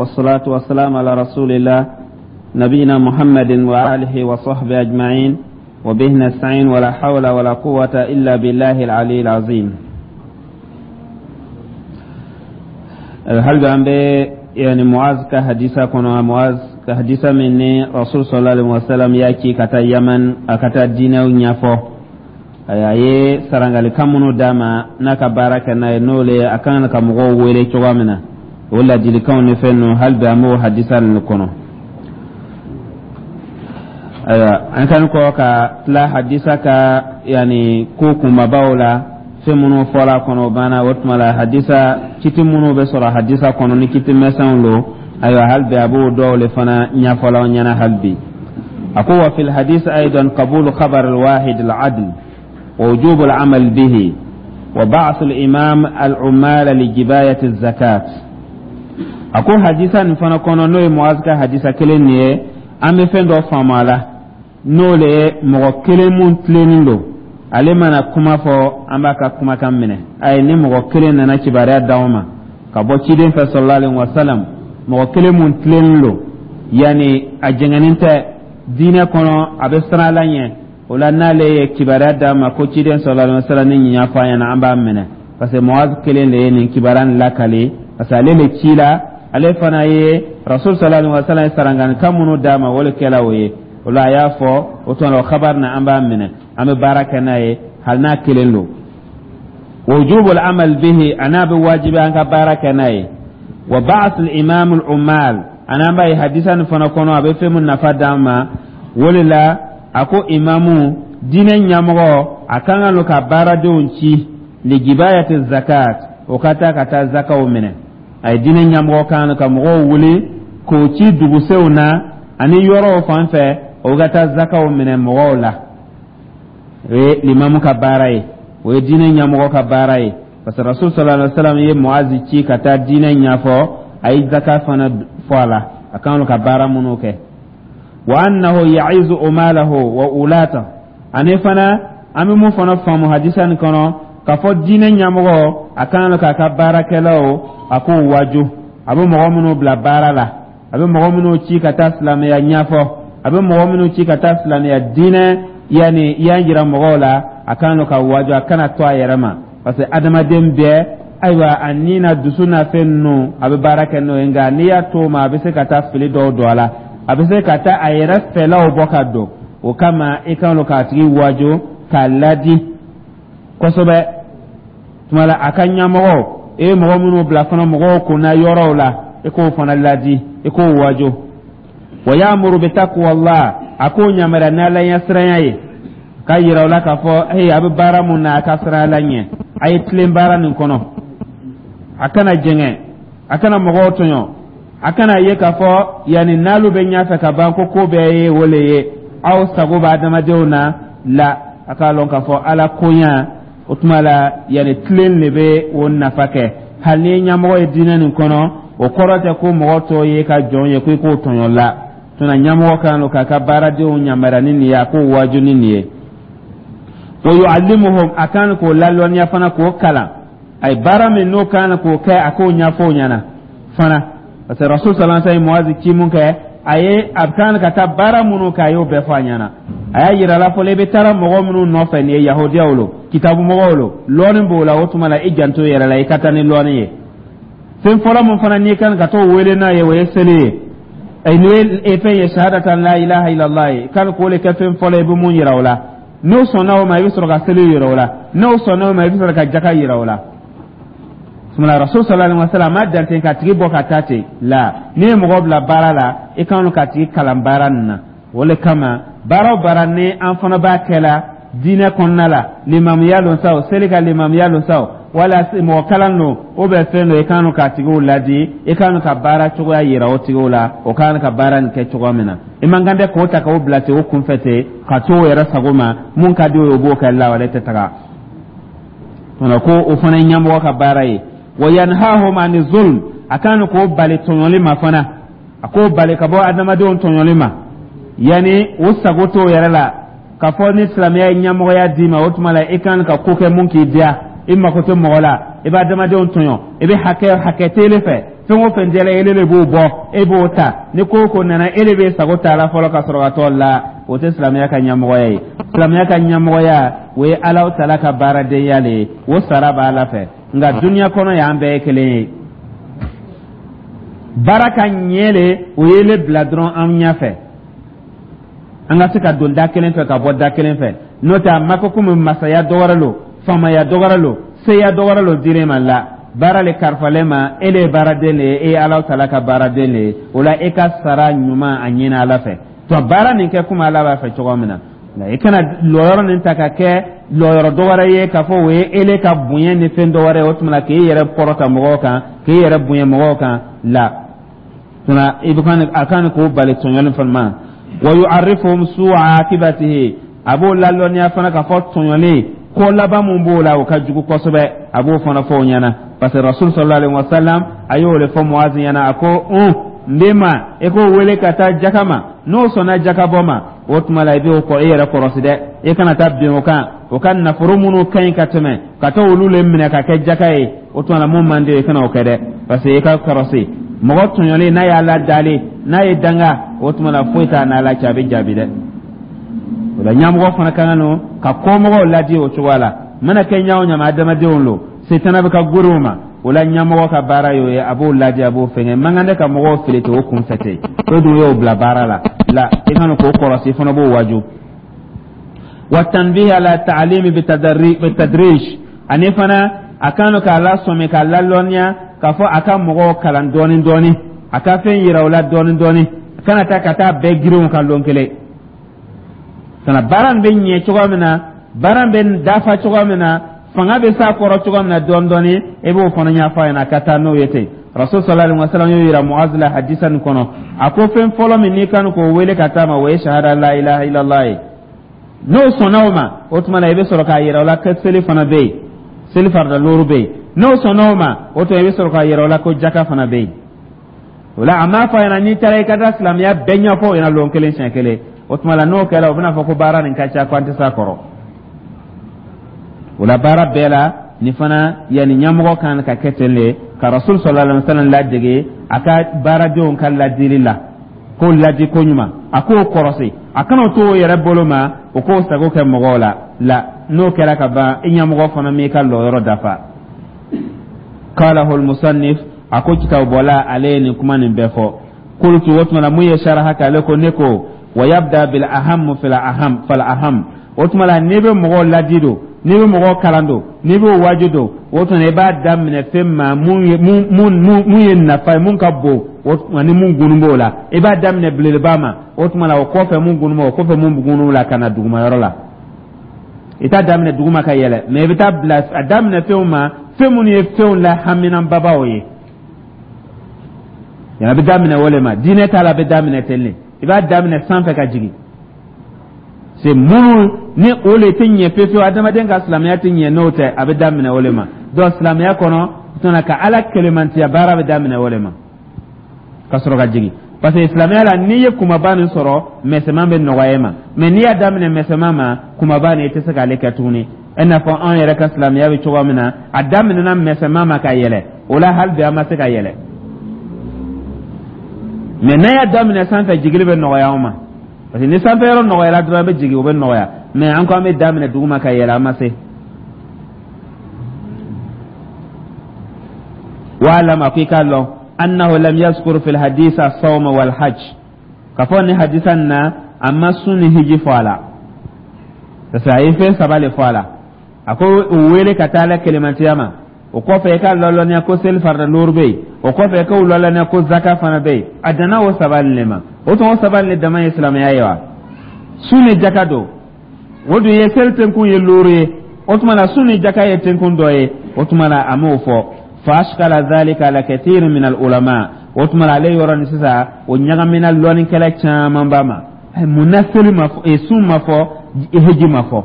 والصلاة والسلام على رسول الله نبينا محمد وآله وصحبه أجمعين وبه نستعين ولا حول ولا قوة إلا بالله العلي العظيم. Hali bi an bɛ yani Muaz ka hadisa kɔnɔ, Muaz ka hadisa min ni Rasul sallallahu alaihi wasallam y'a ci ka taa Yaman, a ka taa diinɛw ɲɛfɔ. A ye sarangalikan minnu d'a ma n'a ka baara kɛ n'a ye, n'o le ye a kan ka mɔgɔw wele cogoya min na, o ladilikanw ni fɛn ninnu, hali bi an b'o hadisa ninnu kɔnɔ. Ayiwa, an kan kɔ ka tila hadisa ka yani ko kunbabaw la, fɛn minnu fɔra a kɔnɔ, o banna. O tuma la, hadisa kiti minnu bɛ sɔrɔ hadisa kɔnɔ ni kiti misɛnw lo, ayiwa, hali bi a b'o dɔw le fana ɲɛfɔla aw ɲɛna hali bi. A ko: wa fil hadis aidan qabulu khabar al-wahid al-adl wa wujub al-amal bihi wa ba'th al-imam al-ummal li jibayati az-zakat. A ko hadisa nin fana kɔnɔ, n'o ye Muaz ka hadisa kelen nin ye, an bɛ fɛn dɔ faamu a la, n'o le ye mɔgɔ kelen mun tilennen don, ale mana kuma fɔ, an b'a ka kumakan minɛ. Ayi, ni mɔgɔ kelen nana kibaruya d'anw ma ka bɔ ciden fɛ sallallahu alaihi wasallam, mɔgɔ kelen mun tilennen don, yanni a jɛngɛnen tɛ diinɛ kɔnɔ, a bɛ siran Ala ɲɛ, o la n'ale ye kibaruya d'an ma ko ciden sallallahu alaihi wasallam ni nin y'a fɔ an ɲɛna, an b'a minɛ, parce que Muaz kelen de ye nin kibaruya nin lakale, parce que ale le ci la, ale fana ye Rasul sallallahu alaihi wasallam ye saranganikan minnu d'a ma, o le kɛla o ye. O la a y'a fɔ, o tuma la o khabar na, an b'a minɛ, an bɛ baara kɛ n'a ye, hali n'a kelen don. Wujubul amal bihi, a n'a bɛ wajibi an ka baara kɛ n'a ye. Wa ba'ath al imam al ummal, ani an b'a ye hadisa nin fana kɔnɔ, a bɛ fɛn min nafa d'an ma, o de la a ko imamu, diinɛ ɲɛmɔgɔ, a kan ka no ka baaradenw ci li jibayati zakat, o ka taa ka taa zakaw minɛ. A ye diinɛ ɲɛmɔgɔ kan ka mɔgɔw wuli k'o ci dugusenw na ani yɔrɔw fan fɛ, o ka taa zakaw minɛ mɔgɔw la. O ye limamu ka baara ye, o ye diinɛ ɲɛmɔgɔ ka baara ye, parce que Rasul sallallahu alaihi wa sallam ye Muazi ci ka taa diinɛ ɲɛfɔ, a ye zaka fana fɔ a la, a kan ka baara minnu kɛ. Wa annahu ya'izu umalahu wa ulata, ani fana an bɛ mun fana faamu hadisa nin kɔnɔ, k'a fɔ diinɛ ɲɛmɔgɔ a kan k'a ka baarakɛlaw, a k'o waju, a bɛ mɔgɔ minnu bila baara la, a bɛ mɔgɔ minnu ci ka taa silamɛya ɲɛfɔ, a bɛ mɔgɔ minnu ci ka taa silamɛya diinɛ yanni yan jira mɔgɔw la, a kan ka waju, a kana to a yɛrɛ ma, parce que adamaden bɛɛ, ayiwa, a ni na dusu n'a fɛn ninnu, a bɛ baara kɛ n'o ye. Nka n'i y'a to o ma, a bɛ se ka taa fili dɔw don a la, a bɛ se ka taa a yɛrɛ fɛlaw bɔ ka don o kama. I kan k'a tigi waju, k'a ladi kosɛbɛ. Tuma la a ka ɲɛmɔgɔ, e ye mɔgɔ minnu bila fana mɔgɔw kunna yɔrɔw la, i k'o fana ladi, i k'o waju. Wa ya'muru bi taqwallah, a k'o yamaruya n'Ala ɲɛsiranya ye, ka yira o la k'a fɔ hey, a bɛ baara mun na, a ka siran Ala ɲɛ, a ye tilen baara nin kɔnɔ, a kana jɛngɛ, a kana mɔgɔw tɔɲɔ, a kana ye k'a fɔ yanni n'alu bɛ ɲɛfɛ ka ban ko ko bɛɛ ye o le ye, aw sago bɛ adamadenw na la. A k'a lɔn k'a fɔ Ala koɲa, o tuma la yanni tilen de bɛ o nafa kɛ. Hali ni ye ɲɛmɔgɔ ye diinɛ nin kɔnɔ, o kɔrɔ tɛ ko mɔgɔ tɔw ye ka jɔn ye ko i k'o tɔɲɔ la. Tuna ɲɛmɔgɔ kan k'a ka baaradenw yamaruya ni nin ye, a k'o waju ni nin ye. Wa yu'allimuhum, a kan k'o lalɔnniya fana, k'o kalan, a ye baara min n'o kan k'o kɛ, a k'o ɲɛfɔ o ɲɛna fana, parce que Rasul sallallahu alaihi wasallam ye Muazi ci mun kɛ, a ye a kan ka taa baara minnu kɛ, a y'o bɛɛ fɔ a ɲɛna. A y'a yira la fɔlɔ, i bɛ taara mɔgɔ minnu nɔfɛ, nin ye yahudiyaw lo, kitabu mɔgɔw lo, lɔɔni b'o la. O tuma la, i janto yɛrɛ la, i ka taa ni lɔɔni ye. Fɛn fɔlɔ mun fana n'i kan ka t'o wele n'a ye, o ye seli ye, n'o ye fɛn ye, shahadatan la ilaha illallah ye, kan k'o le kɛ fɛn fɔlɔ i bɛ mun yira o la. N'o sɔnna o ma, i bɛ sɔrɔ ka seli yira o la. N'o sɔnna o ma, i bɛ sɔrɔ ka jaka yira o la. Sumala Rasul sallallahu alaihi wasallam ma dan ten ka tigi bɔ ka taa ten la. N'i ye mɔgɔ bila baara la, i kan ka tigi kalan baara nin na. O le kama, baara o baara ni an fana b'a kɛ la diinɛ kɔnɔna la, limamuya lon sa o, seli ka limamuya lon sa o, wala mɔgɔ kalan don o bɛ fɛn dɔ, i kan ka tigiw ladi, i kan ka baara cogoya yira o tigiw la, o kan ka baara nin kɛ cogoya min na. I man kan tɛ k'o ta k'o bila ten o kunfɛ ten, ka to o yɛrɛ sago ma, mun ka di o ye, o b'o kɛ la, wale tɛ taga. Ko o fana ye ɲɛmɔgɔ ka baara ye. Wa yanhahum ani zulm, a kan k'o bali tɔɲɔli ma fana, a k'o bali ka bɔ adamadenw tɔɲɔli ma, yanni o sago t'o yɛrɛ la, k'a fɔ ni silamɛya ye ɲɛmɔgɔya d'i ma, o tuma la i kan ka ko kɛ mun k'i diya, i mako tɛ mɔgɔ la, i bɛ adamadenw tɔɲɔ, i bɛ hakɛ hakɛ tele fɛ. Fɛn o fɛn diyala ele de b'o bɔ, e b'o ta. Ni ko o ko nana, e de bɛ sago ta la fɔlɔ ka sɔrɔ ka t'o la. O tɛ silamɛya ka ɲɛmɔgɔya ye. Silamɛya ka ɲɛmɔgɔya, o ye Alahu taala ka baaradenya le ye, o sara b'Ala fɛ. Nka duniya kɔnɔ yan, an bɛɛ ye kelen ye. Baara ka ɲɛ le, o ye le bila dɔrɔn an ɲɛfɛ, an ka se ka don da kelen fɛ ka bɔ da kelen fɛ. N'o tɛ, a ma ko komi masaya dɔ wɛrɛ lo, faamaya dɔ wɛrɛ lo, seya dɔ wɛrɛ lo dir'e ma la. Baara le karifalen ma, e le ye baaraden le ye, e ye Alahu taala ka baaraden le ye. O la, e ka sara ɲuman a ɲini Ala fɛ. To baara nin kɛ komi Ala b'a fɛ cogo min na. Nka i kana lɔyɔrɔ nin ta ka kɛ lɔyɔrɔ dɔ wɛrɛ ye, k'a fɔ o ye ele ka bonya ni fɛn dɔ wɛrɛ ye. O tuma na, k'e yɛrɛ kɔrɔta mɔgɔw kan, k'e yɛrɛ bonya mɔgɔw kan la tuma, i bɛ kan a kan k'o bali tɔɲɔli fana ma. Wa yu'arrifuhum su'a akibatihi, a b'o lalɔnniya fana k'a fɔ tɔɲɔli ko laban mun b'o la, o ka jugu kosɛbɛ. A b'o fana fɔ o ɲɛna, parce que Rasul sallallahu alaihi wa sallam a y'o de fɔ Muazi ɲɛna. A ko: "Un n bɛ ma, i k'o wele ka taa jaka ma. N'o sɔnna jaka bɔ ma, o tuma la, i b'o kɔ, i yɛrɛ kɔrɔsi dɛ, i kana taa bin o kan. O ka nafolo minnu ka ɲi ka tɛmɛ, ka taa olu le minɛ ka kɛ jaka ye. O tuma la, mun man di, i kana o kɛ dɛ, parce que i ka kɔrɔsi mɔgɔ tɔɲɔlen, n'a y'a ladalen, n'a ye danga, o tuma la, foyi t'a n'Ala cɛ, a bɛ jaabi dɛ." O la, ɲɛmɔgɔ fana ka kan no ka kɔmɔgɔw ladi o cogoya la. Mana kɛ ɲa o ɲama, adamadenw lo, setana bɛ ka gori o ma. O la, ɲɛmɔgɔ ka baara y'o ye, a b'o ladi, a b'o fɛngɛ. Man kan tɛ ka mɔgɔw fili ten o kun fɛ ten. O dun y'o bila baara la la, i kan k'o kɔrɔsi, i fana b'o waju. Wa tanbih ala ta'limi bitadrij, ani fana a kan k'a lasɔmi, k'a lalɔnniya k'a fɔ a ka mɔgɔw kalan dɔɔni dɔɔni, a ka fɛn yira u la dɔɔni dɔɔni. A kana taa ka taa bɛɛ girinw kan lon kelen. Kana baara nin bɛ ɲɛ cogoya min na, baara nin bɛ dafa cogoya min na, fanga bɛ s'a kɔrɔ cogoya min na, dɔɔni dɔɔni, i b'o fana ɲɛfɔ a ɲɛna ka taa n'o ye ten. Rasul sallallahu alaihi wasallam y'o yira Muaz la hadisa nin kɔnɔ. A ko fɛn fɔlɔ min n'i kan k'o wele ka taa ma, o ye shahada la ilaha illallah ye. N'o sɔnna o ma, o tuma na, i bɛ sɔrɔ k'a yira o la ko seli fana bɛ yen, seli farida looru bɛ yen. N'o sɔnna o ma, o tuma, i bɛ sɔrɔ k'a yira o la ko jaka fana bɛ yen. O la, a m'a fɔ a ɲɛna n'i taara, i ka taa silamɛya bɛɛ ɲɛfɔ o ɲɛna lon kelen, siɲɛ kelen. O tuma la, n'o kɛra, o bɛna fɔ ko baara nin ka ca, ko an tɛ s'a kɔrɔ. O la, baara bɛɛ la nin fana, yanni ɲɛmɔgɔ kan ka kɛ ten de, ka Rasul sallallahu alaihi wasallam ladege a ka baaradenw ka ladili la, k'o ladi ko ɲuman, a k'o kɔrɔsi, a kana to o yɛrɛ bolo ma, o k'o sago kɛ mɔgɔw la la. N'o kɛra ka ban, i ɲɛmɔgɔ fana m'i ka lɔyɔrɔ dafa. Qalahu al-musannif, a ko kitabubɔla, ale ye nin kuma nin bɛɛ fɔ. Qultu, o tuma la, mun ye saraha kɛ, ale ko: ne ko wa yabda bil aham fil aham fal aham. O tuma la, n'i bɛ mɔgɔw ladi don, n'i bɛ mɔgɔw kalan don, n'i b'o waaju don, o tuma, i b'a daminɛ fɛn ma mun ye nafa ye, mun ka bon, o tuma ni mun gunnu b'o la, i b'a daminɛ belebeleba ma. O tuma la, o kɔfɛ mun gunnu b'o kɔfɛ, mun gunnu la, ka na dugumayɔrɔ la. I t'a daminɛ duguma ka yɛlɛ, mɛ i bɛ taa bila a daminɛ fɛnw ma, fɛn minnu ye fɛnw la haminanbabaw ye. Yan, a bɛ daminɛ o le ma. Diinɛ t'a la, a bɛ daminɛ ten de, i b'a daminɛ sanfɛ ka jigin. C'est minnu ni o le tɛ ɲɛ fewu fewu, adamaden ka silamɛya tɛ ɲɛ n'o tɛ, a bɛ daminɛ o le ma. Donc silamɛya kɔnɔ tuma, ka Ala kelemantiya baara bɛ daminɛ o le ma ka sɔrɔ ka jigin, parce que silamɛya la, n'i ye kumaba nin sɔrɔ, mɛsɛman bɛ nɔgɔya e ma. Mɛ n'i y'a daminɛ mɛsɛman ma, kumaba nin, i tɛ se k'ale kɛ tuguni. I n'a fɔ anw yɛrɛ ka silamɛya bɛ cogoya min na, a daminɛna mɛsɛman ma ka yɛlɛ. O la, hali bi an ma se ka yɛlɛ. Mɛ n'an y'a daminɛ sanfɛ, jigili bɛ nɔgɔya anw ma, parce que ni sanfɛ yɔrɔ nɔgɔyara dɔrɔn, an bɛ jigin, o bɛ nɔgɔya. Mɛ an ko an bɛ daminɛ duguma ka yɛlɛ, an ma se. Wa'lam, a ko i k'a lɔn, annahu lam yazkur fil hadith as-sawm wal hajj, k'a fɔ ni hadisa nin na, a ma sun ni hiji fɔ a la, parce que a ye fɛn saba le fɔ a la. A ko u wele ka taa Ala kelemantiya ma, o kɔfɛ i ka lɔlɔniya ko seli farida looru bɛ yen, o kɔfɛ i k'o lɔlɔniya ko zaka fana bɛ yen. A danna o saba le ma. O tuma, o saba le dama ye silamɛya ye wa? Sun ni jaka don, o dun ye seli tenkun ye looru ye. O tuma la, sun ni jaka ye tenkun dɔ ye. O tuma la, a m'o fɔ. Fa ashkala dhalika ala kathir min al ulama. O tuma la, ale yɔrɔ ni sisan, o ɲagamina lɔnnikɛla caman ba ma. Mun na seli ma fɔ, sun ma fɔ, hiji ma fɔ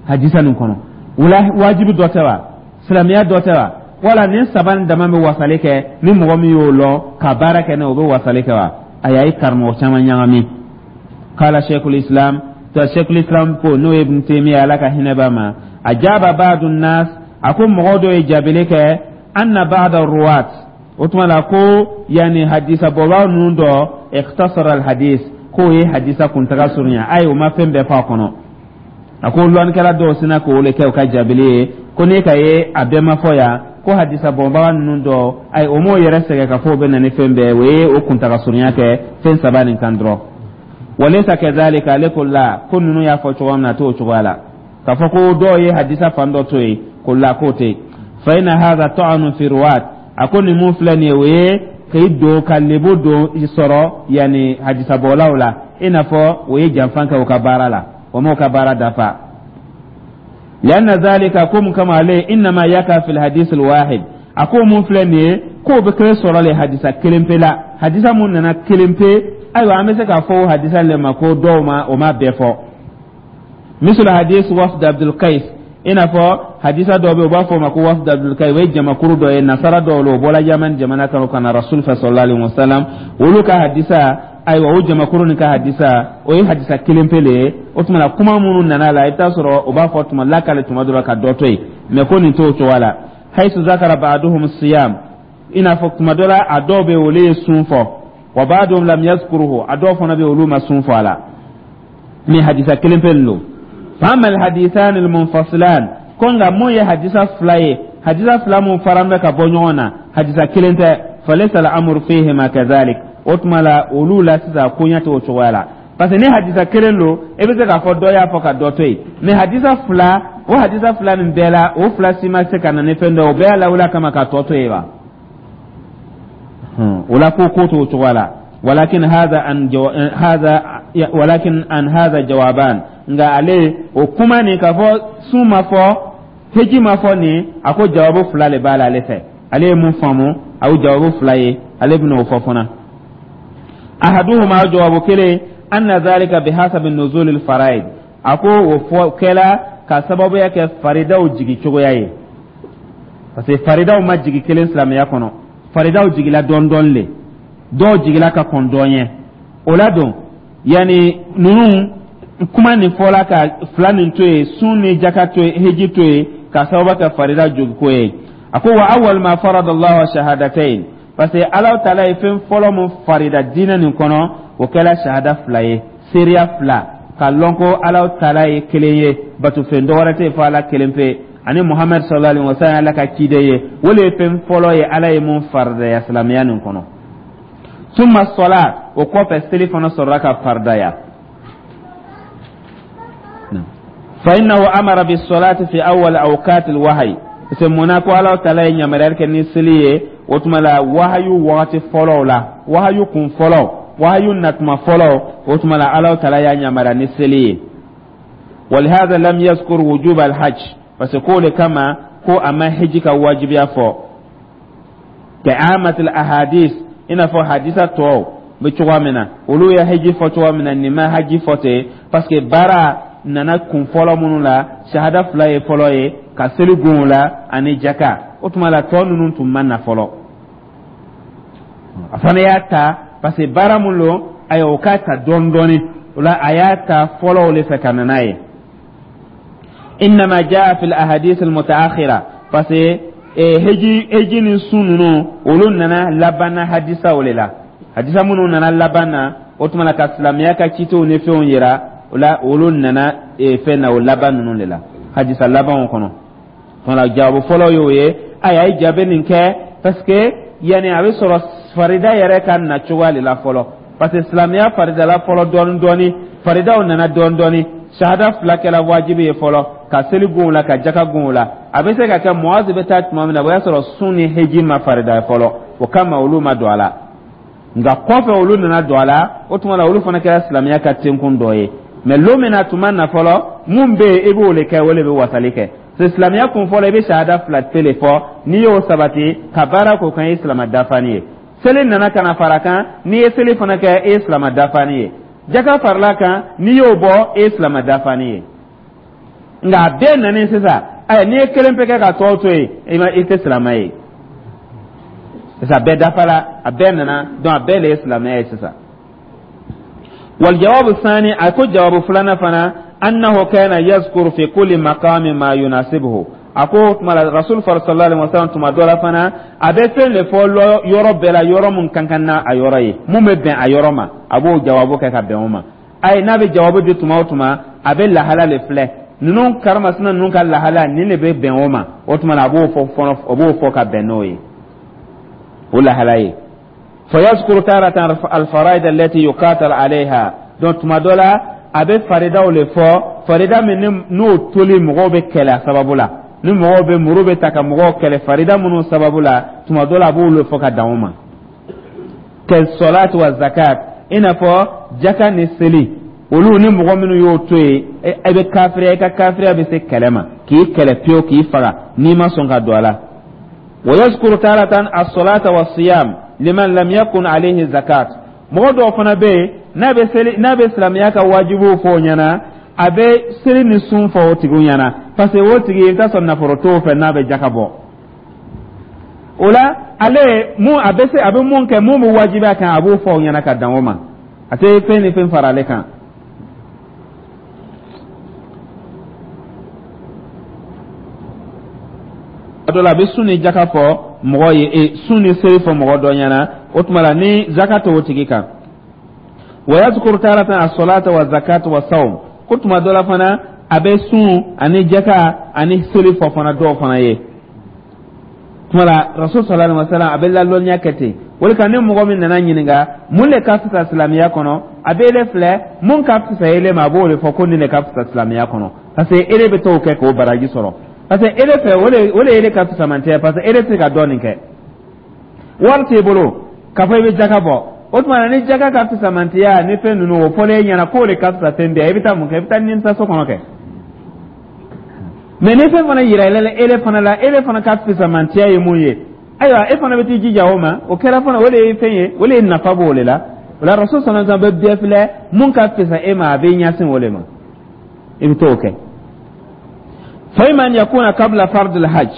hadisa nin kɔnɔ? O la, wajibi dɔ tɛ wa? Silamɛya dɔ tɛ wa? Wala nin saba nin dama bɛ wasali kɛ? Ni mɔgɔ min y'o lɔn ka baara kɛ, n'o bɛ wasali kɛ wa? A y'a ye karamɔgɔ caman ɲagami. Kala sheikhul islam, to sheikhul islam ko, n'o ye Ibn Taymiya, Ala ka hinɛ b'a ma, ajaba ba'du nas, a ko mɔgɔ dɔ ye jaabili kɛ, anna ba'da ruwat. O tuma la ko yanni hadisa bɔbaga ninnu dɔ ikhtasara alhadis, k'o ye hadisa kuntaga surunya, ayi, o ma fɛn bɛɛ fɔ a kɔnɔ. A ko lɔnnikɛla dɔw sina k'o le kɛ u ka jaabili ye ko ne ka ye a bɛɛ ma fɔ yan, ko hadisa bɔbaga ninnu dɔ, ayi, o m'o yɛrɛ sɛgɛn ka fɔ o bɛ na ni fɛn bɛɛ o ye, o kuntaga surunya kɛ fɛn saba nin kan dɔrɔn. Walaysa kadhalika. Ale ko la, ko ninnu y'a fɔ cogoya min na, a t'o cogoya la, k'a fɔ ko dɔw ye hadisa fan dɔ to yen, ko la, k'o tɛ yen. Fa inna hadha ta'anun fi ruwat. A ko nin mun filɛ nin ye, o ye k'i don ka lebu don sɔrɔ yanni hadisabɔlaw la, i n'a fɔ o ye janfa kɛ u ka baara la, o m'o ka baara dafa. Lianna zalika, ko mun kama ale, innama yaka fil hadith al wahid. A ko mun filɛ nin ye, k'o bɛ kɛ sɔrɔ le hadisa kelen pe la, hadisa mun nana kelen pe. Ayiwa, an bɛ se k'a fɔ o hadisa le ma ko dɔw ma o ma bɛɛ fɔ, misal hadis wafd Abdul Qais, i n'a fɔ hadisa dɔ bɛ yen, u b'a fɔ o ma ko wafd Abdul Qais. O ye jamakuru dɔ ye, nasara dɔw la, o bɔra Yaman jamana kan ka na Rasul fɛ sallallahu alaihi wasallam. Olu ka hadisa, ayiwa, o jamakuru nin ka hadisa, o ye hadisa kelen pe le ye. O tuma na, kuma minnu nana la, i bɛ taa sɔrɔ o b'a fɔ tuma lakale tuma dɔ la ka dɔ to yen, mɛ ko nin t'o cogoya la. Haythu zakara ba'duhum siyam, i n'a fɔ tuma dɔ la, a dɔw bɛ yen, olu ye sun fɔ, wa ba'duhum lam yazkuruhu, a dɔw fana bɛ yen, olu ma sun fɔ a la, ni hadisa kelen pe don. Fa amma alhadithan almunfasilan, ko nka mun ye hadisa fila ye, hadisa fila mun faran bɛ ka bɔ ɲɔgɔn na, hadisa kelen tɛ, falaysa al-amru fihima kadhalik. O tuma la, olu la sisan, koɲɛ t'o cogoya la, parce que ni hadisa kelen don, e bɛ se k'a fɔ dɔ y'a fɔ ka dɔ to yen, mais hadisa fila, o hadisa fila nin bɛɛ la, o fila si ma se ka na ni fɛn dɔ ye, o bɛɛ y'a lawuli kama ka tɔ to yen wa. O la ko ko t'o cogoya la. Walakin hadha an hadha walakin an hadha jawaban. Nka ale o kuma nin, k'a fɔ sun ma fɔ, heji ma fɔ nin, a ko jawabu fila le b'a la ale fɛ. Ale ye mun faamu, a ye jawabu fila ye, ale bɛna o fɔ fana. Ahaduhuma, jawabu kelen, anna dhalika bihasabi nuzul al-faraid. A ko o fɔ kɛla ka sababuya kɛ faridaw jigi cogoya ye, parce que faridaw ma jigi kelen silamɛya kɔnɔ, faridaw jigila dɔɔni dɔɔni le, dɔw jigila ka kɔn dɔn ɲɛ. O la don yanni ninnu kuma nin fɔla ka fila nin to yen, sun ni jaka to yen, heji to yen, ka sababu kɛ farida jogiko ye. A ko wa awwal ma farada Allahu shahadatayn, parce que Ala taala ye fɛn fɔlɔ mun farida diinɛ nin kɔnɔ, o kɛla shahada fila ye, seereya fila, ka lɔn ko Ala taala ye kelen ye, batofɛn dɔ wɛrɛ tɛ yen fo Ala kelen pe, ani Muhamadu sallallahu alaihi wa sallam Ala ka ciden ye. O le ye fɛn fɔlɔ ye Ala ye mun faridaya silamɛya nin kɔnɔ. Summa sɔla, o kɔfɛ seli fana sɔrɔla ka faridaya. Fa innahu amara bis salati fi awwal awqat al wahyi, parce que mun ko Ala taala ye yamaruyali kɛ ni seli ye, o tuma la wahayu wagati fɔlɔw la, wahayu kun fɔlɔ, wahayu natuma fɔlɔ, o tuma la Ala taala y'a yamaruya ni seli ye. Walihada lam yazkur wujub al hajj, parce que k'o le kama ko a ma hiji ka wajibiya fɔ, ka amatil ahadis, i n'a fɔ hadisa tɔw bɛ cogoya min na, olu ye hiji fɔ cogoya min na, nin ma haji fɔ ten, parce que baara nana kun fɔlɔ minnu la, shahada fila ye fɔlɔ ye, ka seli gun o la ani jaka. O tuma la, tɔ ninnu tun ma na fɔlɔ. A fana y'a ta parce que baara mun don, ayiwa, o k'a ta dɔɔni dɔɔni. O la, a y'a ta fɔlɔ o de fɛ ka na n'a ye. Innama jaa fil ahadith al mutaakhira, parce que heji ni sun ninnu, olu nana laban na hadisaw le la, hadisa minnu nana laban na, o tuma na ka silamɛya ka citew ni fɛnw yira o la, olu nana fɛn na o laban ninnu de la, hadisa labanw kɔnɔ. Tuma jaabu fɔlɔ y'o ye. Ayi, a ye jaabi nin kɛ parce que yanni a bɛ sɔrɔ farida yɛrɛ ka na cogoya de la fɔlɔ, parce que silamɛya faridala fɔlɔ dɔɔni dɔɔni, faridaw nana dɔɔni dɔɔni. Shahada fila kɛla wajibi ye fɔlɔ, ka seli gun o la, ka jaka gun o la. A bɛ se ka kɛ Muazi bɛ taa tuma min na, o y'a sɔrɔ sun ni heji ma farida fɔlɔ, o kama olu ma don a la. Nka kɔfɛ olu nana don a la, o tuma la olu fana kɛra silamɛya ka tenkun dɔ ye. Mɛ lon min na tuma na fɔlɔ, mun bɛ yen, i b'o de kɛ, o de bɛ wasali kɛ. Silamɛya kun fɔlɔ, i bɛ shahada fila pe fɔ, n'i y'o sabati ka baara k'o kan, i ye silama dafani ye. Seli nana ka na fara kan, n'i ye seli fana kɛ, e ye silama dafani ye. Jaka farala kan, n'i y'o bɔ, e ye silama dafani ye. Nka a bɛɛ nana sisan, ayi, n'i ye kelen pe kɛ ka tɔw to yen, i ma, i tɛ silama ye. Sisan a bɛɛ dafala, a bɛɛ nana, donc a bɛɛ de ye silamɛya ye sisan. Wal jawabu sani, a ko jawabu filanan fana, annahu kana yazkuru fi kulli maqamin ma yunasibuhu. A ko o tuma la, Rasul sallallahu alaihi wasallam, tuma dɔ la fana, a bɛ fɛn de fɔ yɔrɔ bɛɛ la, yɔrɔ mun ka kan n'a a yɔrɔ ye, mun bɛ bɛn a yɔrɔ ma, a b'o jawabu kɛ ka bɛn o ma. Ayi, n'a bɛ jawabu di tuma o tuma, a bɛ lahala le filɛ. Ninnu karimasina ninnu ka lahala nin de bɛ bɛn o ma, o tuma na a b'o fɔ fɔlɔ, o b'o fɔ ka bɛn n'o ye, o lahala ye. Fayazkuru taratan alfaraid allati yuqatal alayha. Donc tuma dɔ la, a bɛ faridaw le fɔ, farida min n'o toli mɔgɔw bɛ kɛlɛ a sababu la, ni mɔgɔw bɛ muru bɛ ta ka mɔgɔw kɛlɛ farida minnu sababu la, tuma dɔ la a b'olu fɔ ka dan o ma. Kasolati wa zakat, i n'a fɔ jaka ni seli, olu ni mɔgɔ minnu y'o to yen, e bɛ kafiriya, i ka kafiriya bɛ se kɛlɛ ma, k'i kɛlɛ pewu, k'i faga n'i ma sɔn ka don a la. Wa yazkuru taratan as-salata wa siyam liman lam yakun alayhi zakat. Mɔgɔ dɔw fana bɛ yen, n'a bɛ seli, n'a bɛ silamɛya ka wajibiw fɔ o ɲɛna, a bɛ seli ni sun fɔ o tigiw ɲɛna, parce que o tigi, i bɛ taa sɔrɔ nafolo t'o fɛ n'a bɛ jaka bɔ. O la, ale mun a bɛ se, a bɛ mun kɛ, mun bɛ wajibiya kan, a b'o fɔ o ɲɛna ka dan o ma, a tɛ fɛn ni fɛn fara ale kan. A dɔ la, a bɛ sun ni jaka fɔ mɔgɔ ye, sun ni seli fɔ mɔgɔ dɔ ɲɛna, o tuma la ni zaka t'o tigi kan. Wa yazkuru taratan as-salata wa zakata wa sawm. Ko tuma dɔ la fana, a bɛ sun ani jaka ani seli fɔ fana dɔw fana ye. Tuma la, Rasul sallallahu alaihi wasallam, a bɛ lalɔnniya kɛ ten. O de kan, ni mɔgɔ min nana ɲininka mun de ka fisa silamɛya kɔnɔ, a bɛ ele filɛ, mun ka fisa ele ma, a b'o de fɔ ko nin de ka fisa silamɛya kɔnɔ, parce que ele bɛ t'o kɛ k'o baraji sɔrɔ, parce que ele fɛ, o de ele ka fisamantɛ, parce que ele tɛ se ka dɔ nin kɛ, wari t'e bolo k'a fɔ i bɛ jaka bɔ. O tuma na, ni jaka ka fisamantiya ni fɛn ninnu, o fɔlen e ɲɛna k'o de ka fisa fɛn bɛɛ, i bɛ taa mun kɛ? I bɛ taa nimisa so kɔnɔ kɛ. Mɛ ni fɛn fana yira ele fana la, ele fana ka fisamantiya ye mun ye, ayiwa, e fana bɛ t'i jija o ma. O kɛra fana, o de ye fɛn ye, o de ye nafa b'o de la. O la, Rasul sallallahu alaihi wasallam bɛ bɛɛ filɛ, mun ka fisa e ma, a b'i ɲɛsin o de ma, i bɛ t'o kɛ. Fa imma an yakuna qabla fardil hajj.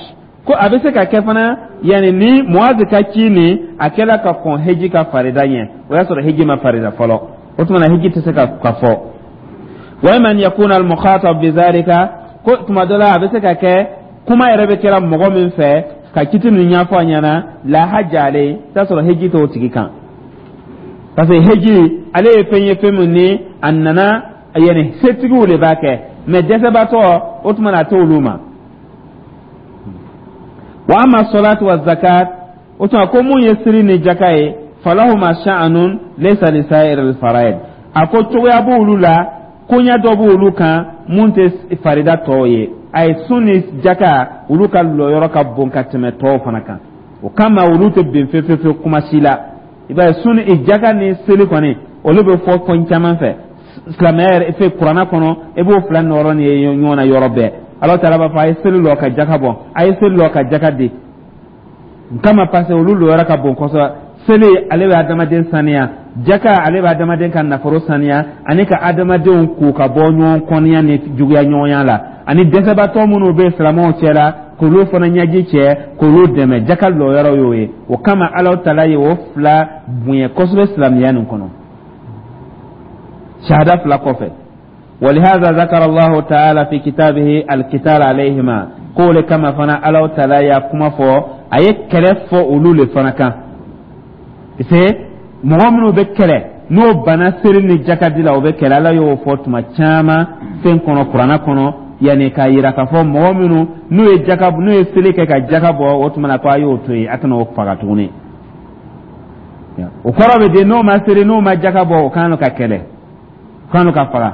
Ko a bɛ se ka kɛ fana, yanni ni Muazi ka ci nin, a kɛla ka kɔn heji ka farida ɲɛ, o y'a sɔrɔ heji ma farida fɔlɔ, o tuma na heji tɛ se ka fɔ. Wa imma an yakuna al mukhatab bizalika. Ko tuma dɔ la, a bɛ se ka kɛ kuma yɛrɛ bɛ kɛra mɔgɔ min fɛ ka kiti ninnu ɲɛfɔ a ɲɛna, la hajja alayhi, t'a sɔrɔ heji t'o tigi kan, parce que heji ale ye fɛn ye, fɛn min ni a nana, yanni setigiw de b'a kɛ, mɛ dɛsɛbaatɔ, o tuma na a t'olu ma. Wa amma salatu wa zakat, o tuma ko mun ye siri ni jaka ye, falahuma sha'anun laysa li sa'ir al faraid. A ko cogoya b'olu la, koɲɛ dɔ b'olu kan mun tɛ farida tɔw ye. A ye sun ni jaka, olu ka lɔyɔrɔ ka bon ka tɛmɛ tɔw fana kan, o kama olu tɛ bin fefefe kuma si la. I b'a ye, sun ni jaka ni seli kɔni, olu bɛ fɔ fɛn caman fɛ silamɛya yɛrɛ fɛ. Kuranna kɔnɔ, i b'o fila nɔrɔ ni ye ɲɔgɔn na yɔrɔ bɛɛ. Ala taala b'a fɔ: a ye seli lɔ ka jaka bɔ, a ye seli lɔ ka jaka di. N kama, parce que olu lɔyɔrɔ ka bon kosɛbɛ. Seli, ale bɛ adamaden saniya. Jaka, ale bɛ adamaden ka nafolo saniya, ani ka adamadenw k'u ka bɔ ɲɔgɔn kɔniya ni juguya ɲɔgɔnya la, ani dɛsɛbaatɔ minnu bɛ silamɛw cɛ la, k'olu fana ɲɛji cɛ, k'olu dɛmɛ. Jaka lɔyɔrɔ y'o ye. O kama, Ala taala ye o fila bonya kosɛbɛ silamɛya nin kɔnɔ, shahada fila kɔfɛ. ولهذا ذكر الله تعالى في كتابه القتال عليهما. K'o kama fana, Ala taala ya kuma fɔ, a ye kɛlɛ fɔ olu le fana kan, parce que mɔgɔ minnu bɛ kɛlɛ, n'o banna seri ni jakadi la, o bɛ kɛlɛ. Ala y'o fɔ tuma caman fɛn kɔnɔ, kuranna kɔnɔ, yanni k'a yira k'a fɔ mɔgɔ minnu n'u ye jaka, n'u ye seli kɛ ka jaka bɔ, o tuma na ko a y'o to yen, a kana o faga tuguni. O kɔrɔ bɛ di? N'o ma seri, n'o ma jaka bɔ, o kan ka kɛlɛ, o kan ka faga.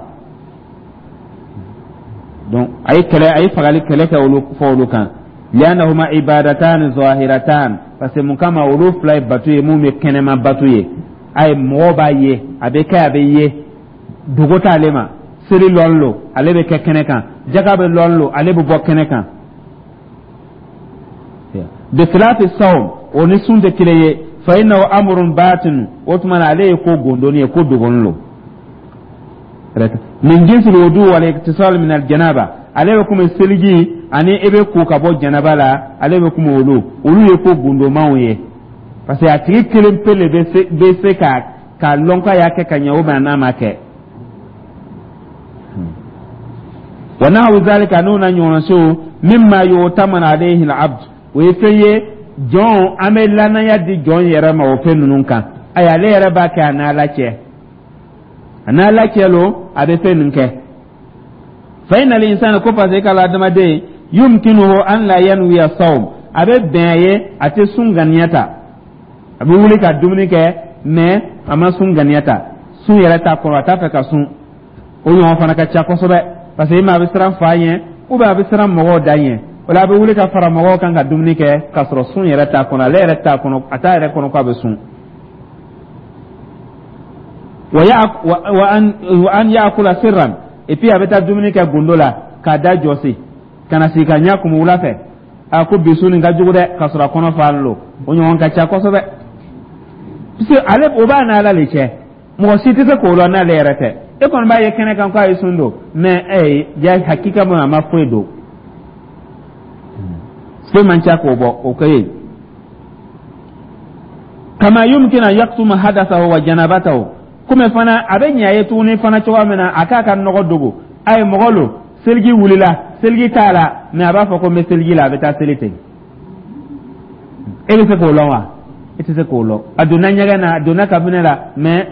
Donc a ye kɛlɛ, a ye fagali kɛlɛ kɛ olu fɔ olu kan. Li'annahuma ibadatan zahiratan, parce que mun kama, olu fila ye bato ye mun bɛ kɛnɛma bato ye, a ye mɔgɔw b'a ye, a bɛ kɛ, a bɛ ye, dogo t'ale ma. Seli lɔn lo, ale bɛ kɛ kɛnɛ kan. Jaka bɛ lɔn lo, ale bɛ bɔ kɛnɛ kan. Bikhilafi sawm, o ni sun tɛ kelen ye. Fa innahu amrun batin, o tuma na ale ye ko gondoni ye, ko dogoni lo. Min jinsil wudu wal iktisal min al janaba, ale bɛ komi seliji ani e bɛ ko ka bɔ janaba la, ale bɛ komi olu ye ko gundomanw ye, parce que a tigi kelen pe le bɛ se ka lɔn k'a y'a kɛ ka ɲɛ, o bɛ n'a ma kɛ. Wa nahwu zalika, n'o na ɲɔgɔnna. Mimma yu'tamanu alayhi al-abd, o ye fɛn ye jɔn, an bɛ lanaya di jɔn yɛrɛ ma o fɛn ninnu kan. Ayi, ale yɛrɛ b'a kɛ a n'Ala cɛ, a n'Ala cɛ lo, a bɛ fɛn ninnu kɛ. Fa inna al-insana, ko parce que k'a la adamaden, yumkinuhu an la yanwiya sawm, a bɛ bɛn a ye a tɛ sun ŋaniya ta. A bɛ wuli ka dumuni kɛ, mais a ma sun ŋaniya ta, sun yɛrɛ t'a kɔnɔ, a t'a fɛ ka sun. O ɲɔgɔn fana ka ca kosɛbɛ, parce que i ma a bɛ siran fa ɲɛ ou bien a bɛ siran mɔgɔw da ɲɛ. O la, a bɛ wuli ka fara mɔgɔw kan ka dumuni kɛ k'a sɔrɔ sun yɛrɛ t'a kɔnɔ, ale yɛrɛ t'a kɔnɔ, a t'a yɛrɛ kɔnɔ k'a bɛ sun. Wa an yakula sirran, et puis a bɛ taa dumuni kɛ gundo la k'a da jɔsi ka na sigi ka ɲɛ kumu wula fɛ, a ko bi sun nin ka jugu dɛ, k'a sɔrɔ a kɔnɔ falen lo. O ɲɔgɔn ka ca kosɛbɛ, parce que ale o b'a n'Ala le cɛ, mɔgɔ si tɛ se k'o lɔn n'ale yɛrɛ tɛ. E kɔni b'a ye kɛnɛ kan k'a ye sun don, mais ja hakika ma, a ma foyi don, se man ca k'o bɔ o kɛ yen. Kama yumkin an yaktuma hadathahu wa janabatahu, komi fana a bɛ ɲɛ a ye tuguni fana cogoya min na a k'a ka nɔgɔ dogo. A ye mɔgɔ lo, seliji wulila, seliji t'a la, mais a b'a fɔ ko n bɛ seliji la, a bɛ taa seli ten. E bɛ se k'o lɔn wa? E tɛ se k'o lɔn. A donna ɲɛgɛn na, a donna kabinɛ la, mais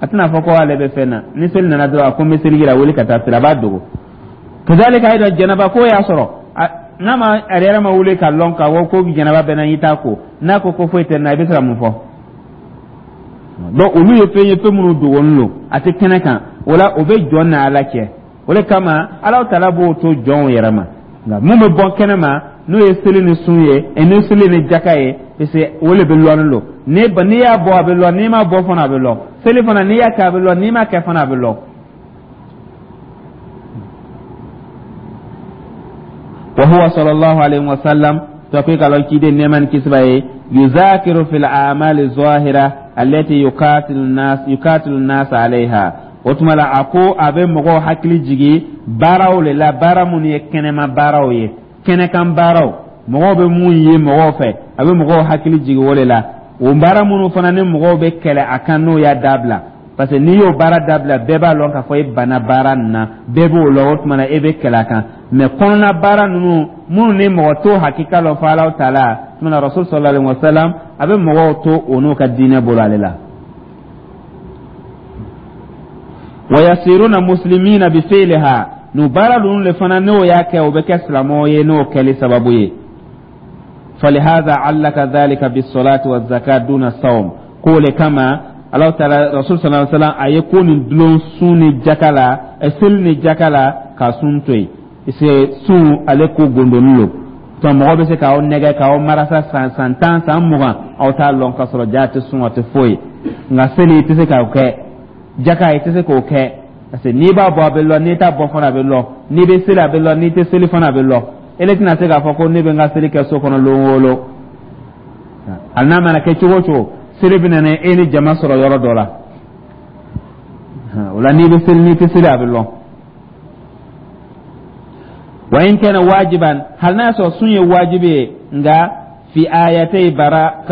a tɛna fɔ ko ale bɛ fɛn na. Ni seli nana dɔrɔn, a ko n bɛ seliji la, wuli ka taa seli, a b'a dogo. Kazalika ayiwa, janaba ko y'a sɔrɔ, n'a ma a yɛrɛ ma wuli ka lɔn k'a fɔ ko janaba bɛ n na, i t'a ko, n'a ko ko foyi tɛ n na, i bɛ se ka mun fɔ? Donc olu ye fɛn ye, fɛn minnu dogolen don, a tɛ kɛnɛ kan. O la, o bɛ jɔn na Ala cɛ, o de kama Ala taala b'o to jɔnw yɛrɛ ma. Nka mun bɛ bɔ kɛnɛ ma, n'o ye seli ni sun ye, ni seli ni jaka ye, parce que o de bɛ lɔnnen don. N'i y'a bɔ, a bɛ lɔn, n'i m'a bɔ fana, a bɛ lɔn. Seli fana, n'i y'a kɛ, a bɛ lɔn, n'i m'a kɛ fana, a bɛ lɔn. Wa huwa sallallahu alayhi wa sallam, to ko k'a lɔn ciden nɛɛma ni kisi b'a ye, yuzakiru fil a'mali zahira allati yuqatilu nas alayha. O tuma la, a ko a bɛ mɔgɔw hakili jigi baaraw le la, baara minnu ye kɛnɛma baaraw ye, kɛnɛkan baaraw, mɔgɔw bɛ mun ye mɔgɔw fɛ, a bɛ mɔgɔw hakili jigi o de la. O baara minnu fana ni mɔgɔw bɛ kɛlɛ a kan n'o y'a dabila, parce que n'i y'o baara dabila, bɛɛ b'a lɔn k'a fɔ e banna baara nin na, bɛɛ b'o lɔn, o tuma na e bɛ kɛlɛ a kan. Mais kɔnɔna baara ninnu minnu ni mɔgɔ t'o hakika lɔn fo Alahu taala, tuma na Rasul sallallahu alaihi wa sallam a bɛ mɔgɔw to o n'u ka diinɛ bolo ale la. Wa yasiruna muslimina bi fi'liha, n'o baara ninnu le fana n'o y'a kɛ, o bɛ kɛ silamɛw ye n'o kɛli sababu ye. Falihaza allaka dhalika bisolati wa zakat duna sawm, k'o le kama Alahu taala, Rasul sallallahu alaihi wasallam, a ye ko nin dulon sun ni jaka la, seli ni jaka la, ka sun to yen, parce que sun ale ko gondoni lo to, mɔgɔ bɛ se k'aw nɛgɛ k'aw marasa san 10, san 20, aw t'a lɔn k'a sɔrɔ ja tɛ sun, a tɛ foyi. Nka seli, i tɛ se k'o kɛ, jaka, i tɛ se k'o kɛ, parce que n'i b'a bɔ, a bɛ lɔn, n'i t'a bɔ fana, a bɛ lɔn, n'i bɛ seli, a bɛ lɔn, n'i tɛ seli fana, a bɛ lɔn. Ele tɛna se k'a fɔ ko ne bɛ n ka seli kɛ so kɔnɔ lon o lon. Hali n'a mana kɛ cogo o cogo, seli bɛ na e ni jama sɔrɔ yɔrɔ dɔ la. O la, n'i bɛ seli, n'i tɛ seli, a bɛ lɔn. Wa in kana wajiban, hali n'a y'a sɔrɔ sun ye wajibi ye, nka fi ayatay bara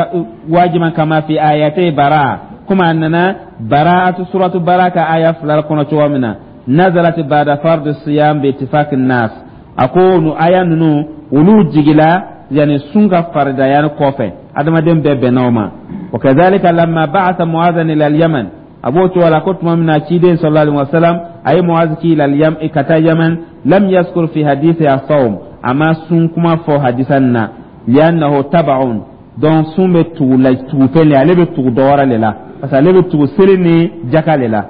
wajiban kama fi ayatay bara, komi a nana baraatu suratu bara ka aya fila kɔnɔ cogo min na, nazalat ba'da fardu siyam bi ittifaq nas. A ko nu aya ninnu, olu jigila yani sun ka faridaya kɔfɛ, adamaden bɛɛ bɛnna o ma. Wa kadhalika lamma ba'atha Mu'adhan ila al-Yaman, a b'o cogo la ko tuma min na ciden sallallahu alaihi wasallam a ye Mu'adh ci ila al ka taa Yaman, lam yazkur fi hadithi as-sawm, a ma sun kuma fɔ hadisa nin na, li'annahu tab'un. Donc sun bɛ tugu la, tugu fɛn le, ale bɛ tugu dɔ wɛrɛ le la, parce que ale bɛ tugu seli ni jaka le la.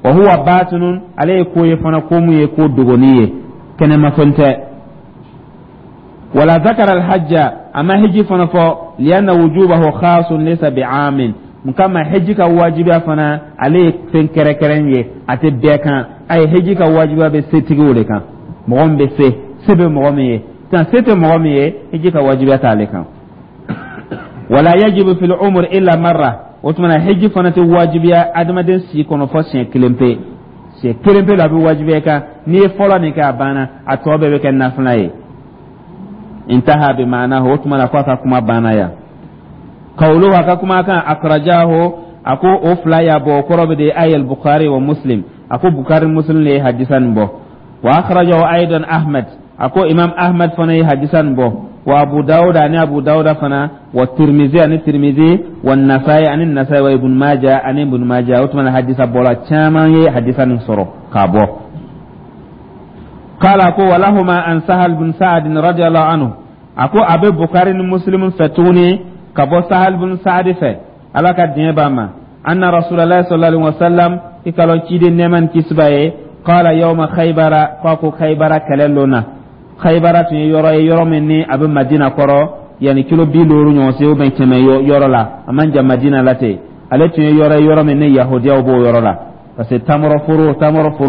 Wa huwa batinun, ale ye ko ye fana, ko mun ye ko dogoni ye, kɛnɛmafɛn tɛ. Wala zakara alhajja, a ma hiji fana fɔ, lianna wujubahu khasun laysa bi'amin. Mun kama? Hiji ka wajibiya fana, ale ye fɛn kɛrɛnkɛrɛn ye, a tɛ bɛɛ kan. A ye hiji ka wajibiya bɛ setigiw de kan, mɔgɔ min bɛ se, se bɛ mɔgɔ min ye. Tan se tɛ mɔgɔ min ye, hiji ka wajibiya t'ale kan. Wala yajibu fil umr illa marra, o tuma na hiji fana tɛ wajibiya adamaden si kɔnɔ fɔ siɲɛ kelen pe. Siɲɛ kelen pe la a bɛ wajibiya kan. N'i ye fɔlɔ nin kɛ, a banna, a tɔ bɛɛ bɛ kɛ nafila ye. Intaha bi ma'anahu, o tuma na ko a ka kuma banna yan. Qawluhu, a ka kuma kan, akhrajahu, a ko o fila y'a bɔ, o kɔrɔ bɛ de ay al-Bukhari wa Muslim, a ko Bukhari, Muslim le ye hadisa nin bɔ. Wa akhrajahu aidan Ahmad. A ko Imam Ahmad fana ye hadisa nin bɔ, wa Abu Dawuda, ani Abu Dawuda fana, wa Tirmizi, ani Tirmizi, wa Nasai, ani Nasai, wa Ibn Maja, ani Ibn Maja. O tuma na, hadisa bɔla caman ye hadisa nin sɔrɔ k'a bɔ. Kala ko walahuma an Sahal bin Sa'ad radiyallahu anhu. A ko a bɛ Bukhari ni Muslim fɛ tuguni, ka bɔ Sahal bin Sa'ad fɛ, Ala ka diɲɛ b'a ma, anna Rasulallah sallallahu alaihi wasallam, i ka lɔn ciden, nɛɛma ni kisi b'a ye, qala yawma Khaybara, ko a ko Khaybara kɛlɛ lon na. Khaybara tun ye yɔrɔ ye, yɔrɔ min ni a bɛ Madina kɔrɔ, yanni kilo 50 ɲɔgɔn se ou bien 100 yɔrɔ la, a man jan Madina la ten. Ale tun ye yɔrɔ ye, yɔrɔ min ni Yahudiyaw b'o yɔrɔ la, parce que tamaro foro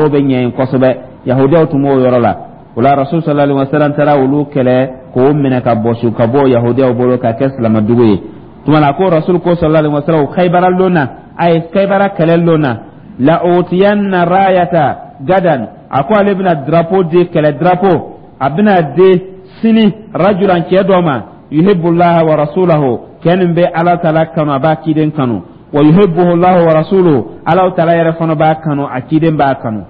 bɛ ɲɛ yen kosɛbɛ. Yahudiyaw tun b'o yɔrɔ la. O la, Rasul sallallahu alaihi wasallam taara olu kɛlɛ k'o minɛ ka bɔsi ka bɔ Yahudiyaw bolo ka kɛ silamadugu ye. Tuma la, ko Rasul ko sallallahu alaihi wasallam o Khaybara lon na, a ye Khaybara kɛlɛ lon na, la utiyanna rayata gadan, a ko ale bɛna drapeau di, kɛlɛ drapeau, a bɛna di sini, rajulan, cɛ dɔ ma, yuhibbullaha wa rasulahu, cɛ nin bɛ Ala taala kanu, a b'a ciden kanu, wa yuhibbuhu Allahu wa rasuluhu, Ala taala yɛrɛ fana b'a kanu, a ciden b'a kanu.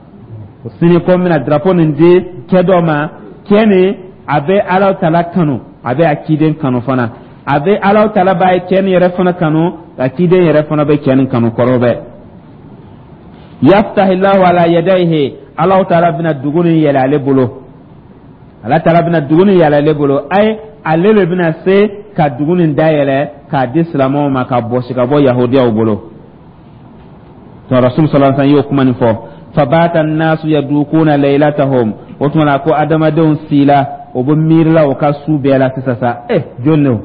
Sini ko n bɛna drapeau nin di cɛ dɔ ma, cɛ nin a bɛ Ala taala kanu, a bɛ a ciden kanu fana, a bɛ Ala taala b'a ye cɛ nin yɛrɛ fana kanu, a ciden yɛrɛ fana bɛ cɛ nin kanu kɔrɔbɛ. Yaftahillahu ala yadayhi, Ala taala bɛna dugu nin yɛlɛ ale bolo, Ala taala bɛna dugu nin yɛlɛ ale bolo, ayi, ale de bɛna se ka dugu nin dayɛlɛ k'a di silamɛw ma, ka bɔsi ka bɔ Yahudiyaw bolo. To Rasul sallallahu alaihi wasallam y'o kuma nin fɔ. Fabata an-nasu yadukuna laylatahum. O tuma na, ko adamadenw sila, o bɛ miirila o ka su bɛɛ la sisan sa, jɔn de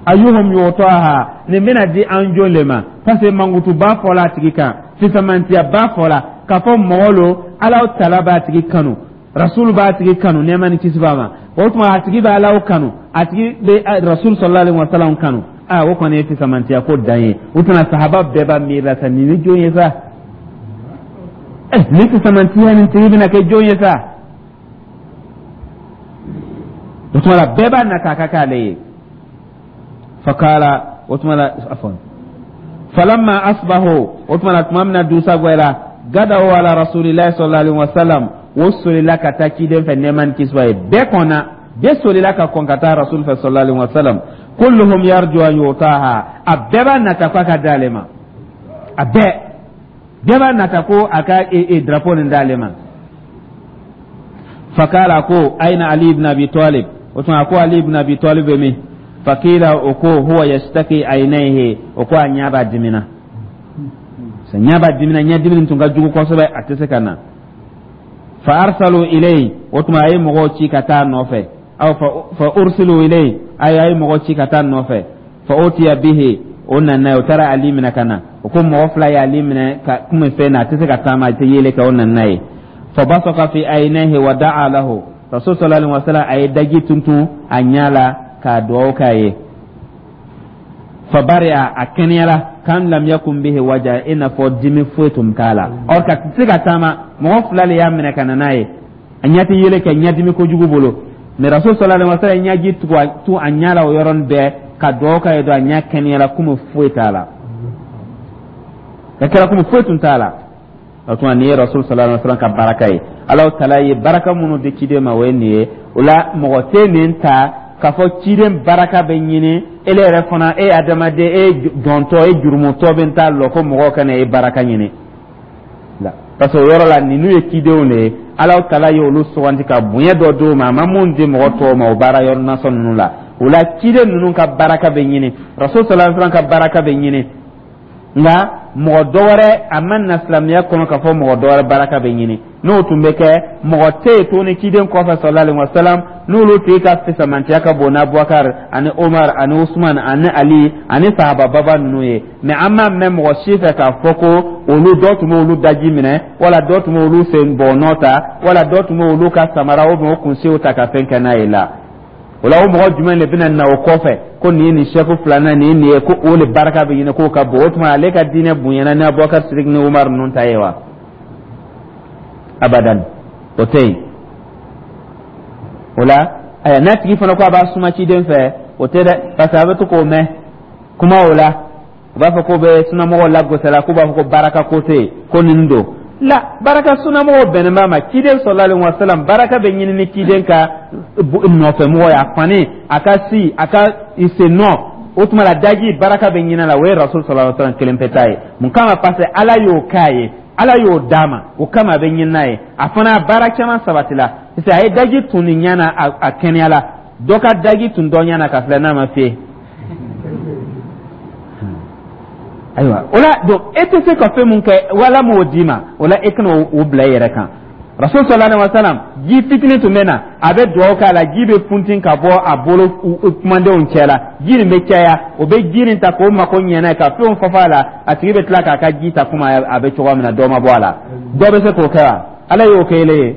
ayuhum yutaha, nin bɛna di an jɔn de ma? Parce que mankutuba fɔla a tigi kan, fisamantiyaba fɔla k'a fɔ mɔgɔ lo, Ala tala b'a tigi kanu, Rasul b'a tigi kanu, nɛɛma ni kisi b'a ma. O tuma, a tigi bɛ Ala kanu, a tigi bɛ Rasul sallallahu alaihi wasallam kanu. Aa, o kɔni ye fisamantiya ko dan ye. O tuma, sahaba bɛɛ b'a miiri la sa, nin ni jɔn ye sa? Nin fisamantiya nin tigi bɛna kɛ jɔn ye sa? O tuma la, bɛɛ b'a nata a ka k'ale ye. Fakala, o tuma la, afwan, falamma asbahu, o tuma la, tuma min na dusa gwɛla, gadaw ala rasulillahi sallallahu alaihi wasallam, o solila ka taa ciden fɛ, nɛɛma ni kisi b'a ye. Bɛɛ kɔnna, bɛɛ solila ka kɔn ka taa Rasul fɛ sallallahu alaihi wasallam, kulluhum yarju an yutaha, a bɛɛ b'a nata ko a ka d'ale ma, a bɛɛ b'a nata ko a ka drapeau nin d'ale ma. Fakala, ko aina Ali ibn Abi Talib? O tuma, ko Ali ibn Abi Talib bɛ min? Fakila, o ko huwa yashtaki aynayhi, o ko a ɲɛ b'a dimina, ɲɛ b'a dimina, ɲɛdimi tun ka jugu kosɛbɛ, a tɛ se ka na. Fa arsalu ilayhi, o tuma a ye mɔgɔw ci ka taa nɔfɛ, aw fa ursilu ilayhi, a ye mɔgɔw ci ka taa nɔfɛ. Fa utiya bihi, o nana ye, o taara Ali minɛ ka na. O ko mɔgɔ fila ye Ali minɛ ka kun fɛn na, a tɛ se ka taama, a tɛ yeli kɛ, o nana ye. Fa basaka fi aynayhi wa da'a lahu. Rasul sallallahu alaihi wasallam a ye daji tuntun a ɲɛ la k'a dugawu k'a ye. Fa bari'a, a kɛnɛyara, kan lam yakun bihi waja, i n'a fɔ dimi foyi tun t'a la. Or ka tɛ se ka taama, mɔgɔ fila de y'a minɛ ka na n'a ye, a ɲɛ tɛ yeli kɛ, ɲɛdimi kojugu bolo. Mais Rasul sallallahu alaihi wasallam ɲɛji tu a ɲɛ la o yɔrɔnin bɛɛ ka dugawu k'a ye, don a ɲɛ kɛnɛyara komi foyi t'a la, ka kɛra komi foyi tun t'a la. O tuma, nin ye Rasul sallallahu alaihi wasallam ka baraka ye. Ala taala ye baraka minnu di ciden ma, o ye nin ye. O la, mɔgɔ tɛ nin ta k'a fɔ ciden baraka bɛ ɲini ele yɛrɛ fana, e adamaden, e jɔntɔ, e jurumutɔ bɛ t'a lɔ ko mɔgɔw kana e baraka ɲini la, parce que o yɔrɔ la, ninnu ye cidenw de ye. Ala taala ye olu suganti ka bonya dɔ d'u ma, a ma mun di mɔgɔ tɔw ma o baara yɔrɔ nasɔn ninnu la. O la, ciden ninnu ka baraka bɛ ɲini, Rasul sallallahu alaihi wasallam ka baraka bɛ ɲini, nka mɔgɔ dɔ wɛrɛ, a ma na silamɛya kɔnɔ k'a fɔ mɔgɔ dɔ wɛrɛ baraka bɛ ɲini. N'o tun bɛ kɛ, mɔgɔ tɛ yen tuguni ciden kɔfɛ sallallahu alaihi wasallam n'olu tigi ka fisamantiya ka bon n'Abubakar ani Umar ani Usman ani Ali ani sahaba baba ninnu ye. Mais an m'a mɛn mɔgɔ si fɛ k'a fɔ ko olu dɔ tun b'olu daji minɛ, wala dɔ tun b'olu sen bɔnɔ ta, wala dɔ tun b'olu ka samara ou bien o kunsiw ta ka fɛn kɛ n'a ye la. O la, o mɔgɔ jumɛn de bɛna na o kɔfɛ ko nin ye nin sɛku filanan nin ye nin ye, ko o de baraka bɛ ɲini k'o ka bon? O tuma, ale ka diinɛ bonyana ni Abubakar Sidik ni Umar ninnu ta ye wa? Abadan, o tɛ yen. O la, ayiwa, n'a tigi fana ko a b'a suma ciden fɛ, o tɛ dɛ, parce que a bɛ to k'o mɛn kuma o la, u b'a fɔ k'o bɛ sunamɔgɔw lagosi la, k'u b'a fɔ ko baraka ko tɛ yen, ko nin don. La baraka sunamɔgɔw bɛnnen b'a ma. Ciden sallallahu alaihi wasallam, baraka bɛ ɲini ni ciden ka nɔfɛmɔgɔ ye, a fani, a ka si, a ka sen nɔ. O tuma la, daji baraka bɛ ɲini a la, o ye Rasul sallallahu alaihi wasallam kelen pe ta ye. Mun kama? Parce que Ala y'o k'a ye, Ala y'o d'a ma, o kama a bɛ ɲini n'a ye. A fana baara caman sabatila, parce que a ye daji tun nin ɲɛ na, a kɛnɛya la. Dɔ ka daji tun dɔ ɲɛ na ka filɛ n'a ma fiyɛ. Ayiwa, o la donc e tɛ se ka fɛn mun kɛ, wala m'o d'i ma, o la e kana o bila i yɛrɛ kan. Rasul sallallahu alaihi wasallam, ji fitinin tun bɛ na, a bɛ dugawu k'a la, ji bɛ funti ka bɔ a bolo kumadenw cɛ la, ji nin bɛ caya. O bɛ ji nin ta k'o mako ɲɛ n'a ye, ka fɛnw fafa a la. A tigi bɛ tila k'a ka ji ta komi a bɛ cogoya min na, dɔ ma bɔ a la. Dɔ bɛ se k'o kɛ wa? Ala y'o kɛ ele ye.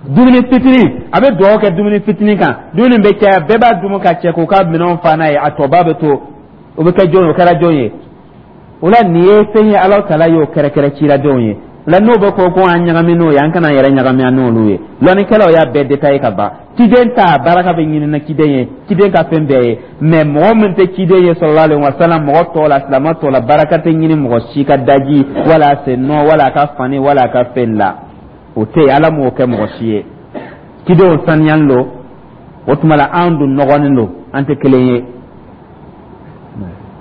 Dumuni fitinin, a bɛ dugawu kɛ dumuni fitinin kan, dumuni bɛ caya, bɛɛ b'a dumu ka cɛ k'u ka minɛnw fa n'a ye, a tɔba bɛ to. O bɛ kɛ jɔn ye? O kɛra jɔn ye? O la nin ye fɛn ye, Ala taala y'o kɛrɛkɛrɛ ciladenw ye. O la n'o bɛ ko ko an ɲagami n'o ye, an kana yɛrɛ ɲagami an n'olu ye. Lɔnnikɛlaw y'a bɛɛ détaillé ka ban. Ciden ta baraka bɛ ɲini na ciden ye, ciden ka fɛn bɛɛ ye. Mais mɔgɔ min tɛ ciden ye sallallahu alaihi wasallam, mɔgɔ tɔw la, silamɛ tɔw la, baraka tɛ ɲini mɔgɔ si ka daji wala a sen nɔ wala a ka fani wala a ka fɛn la. O tɛ yen, Ala m'o kɛ mɔgɔ si ye. Cidenw saniyalen don, o tuma la an dun nɔgɔlen don, an tɛ kelen ye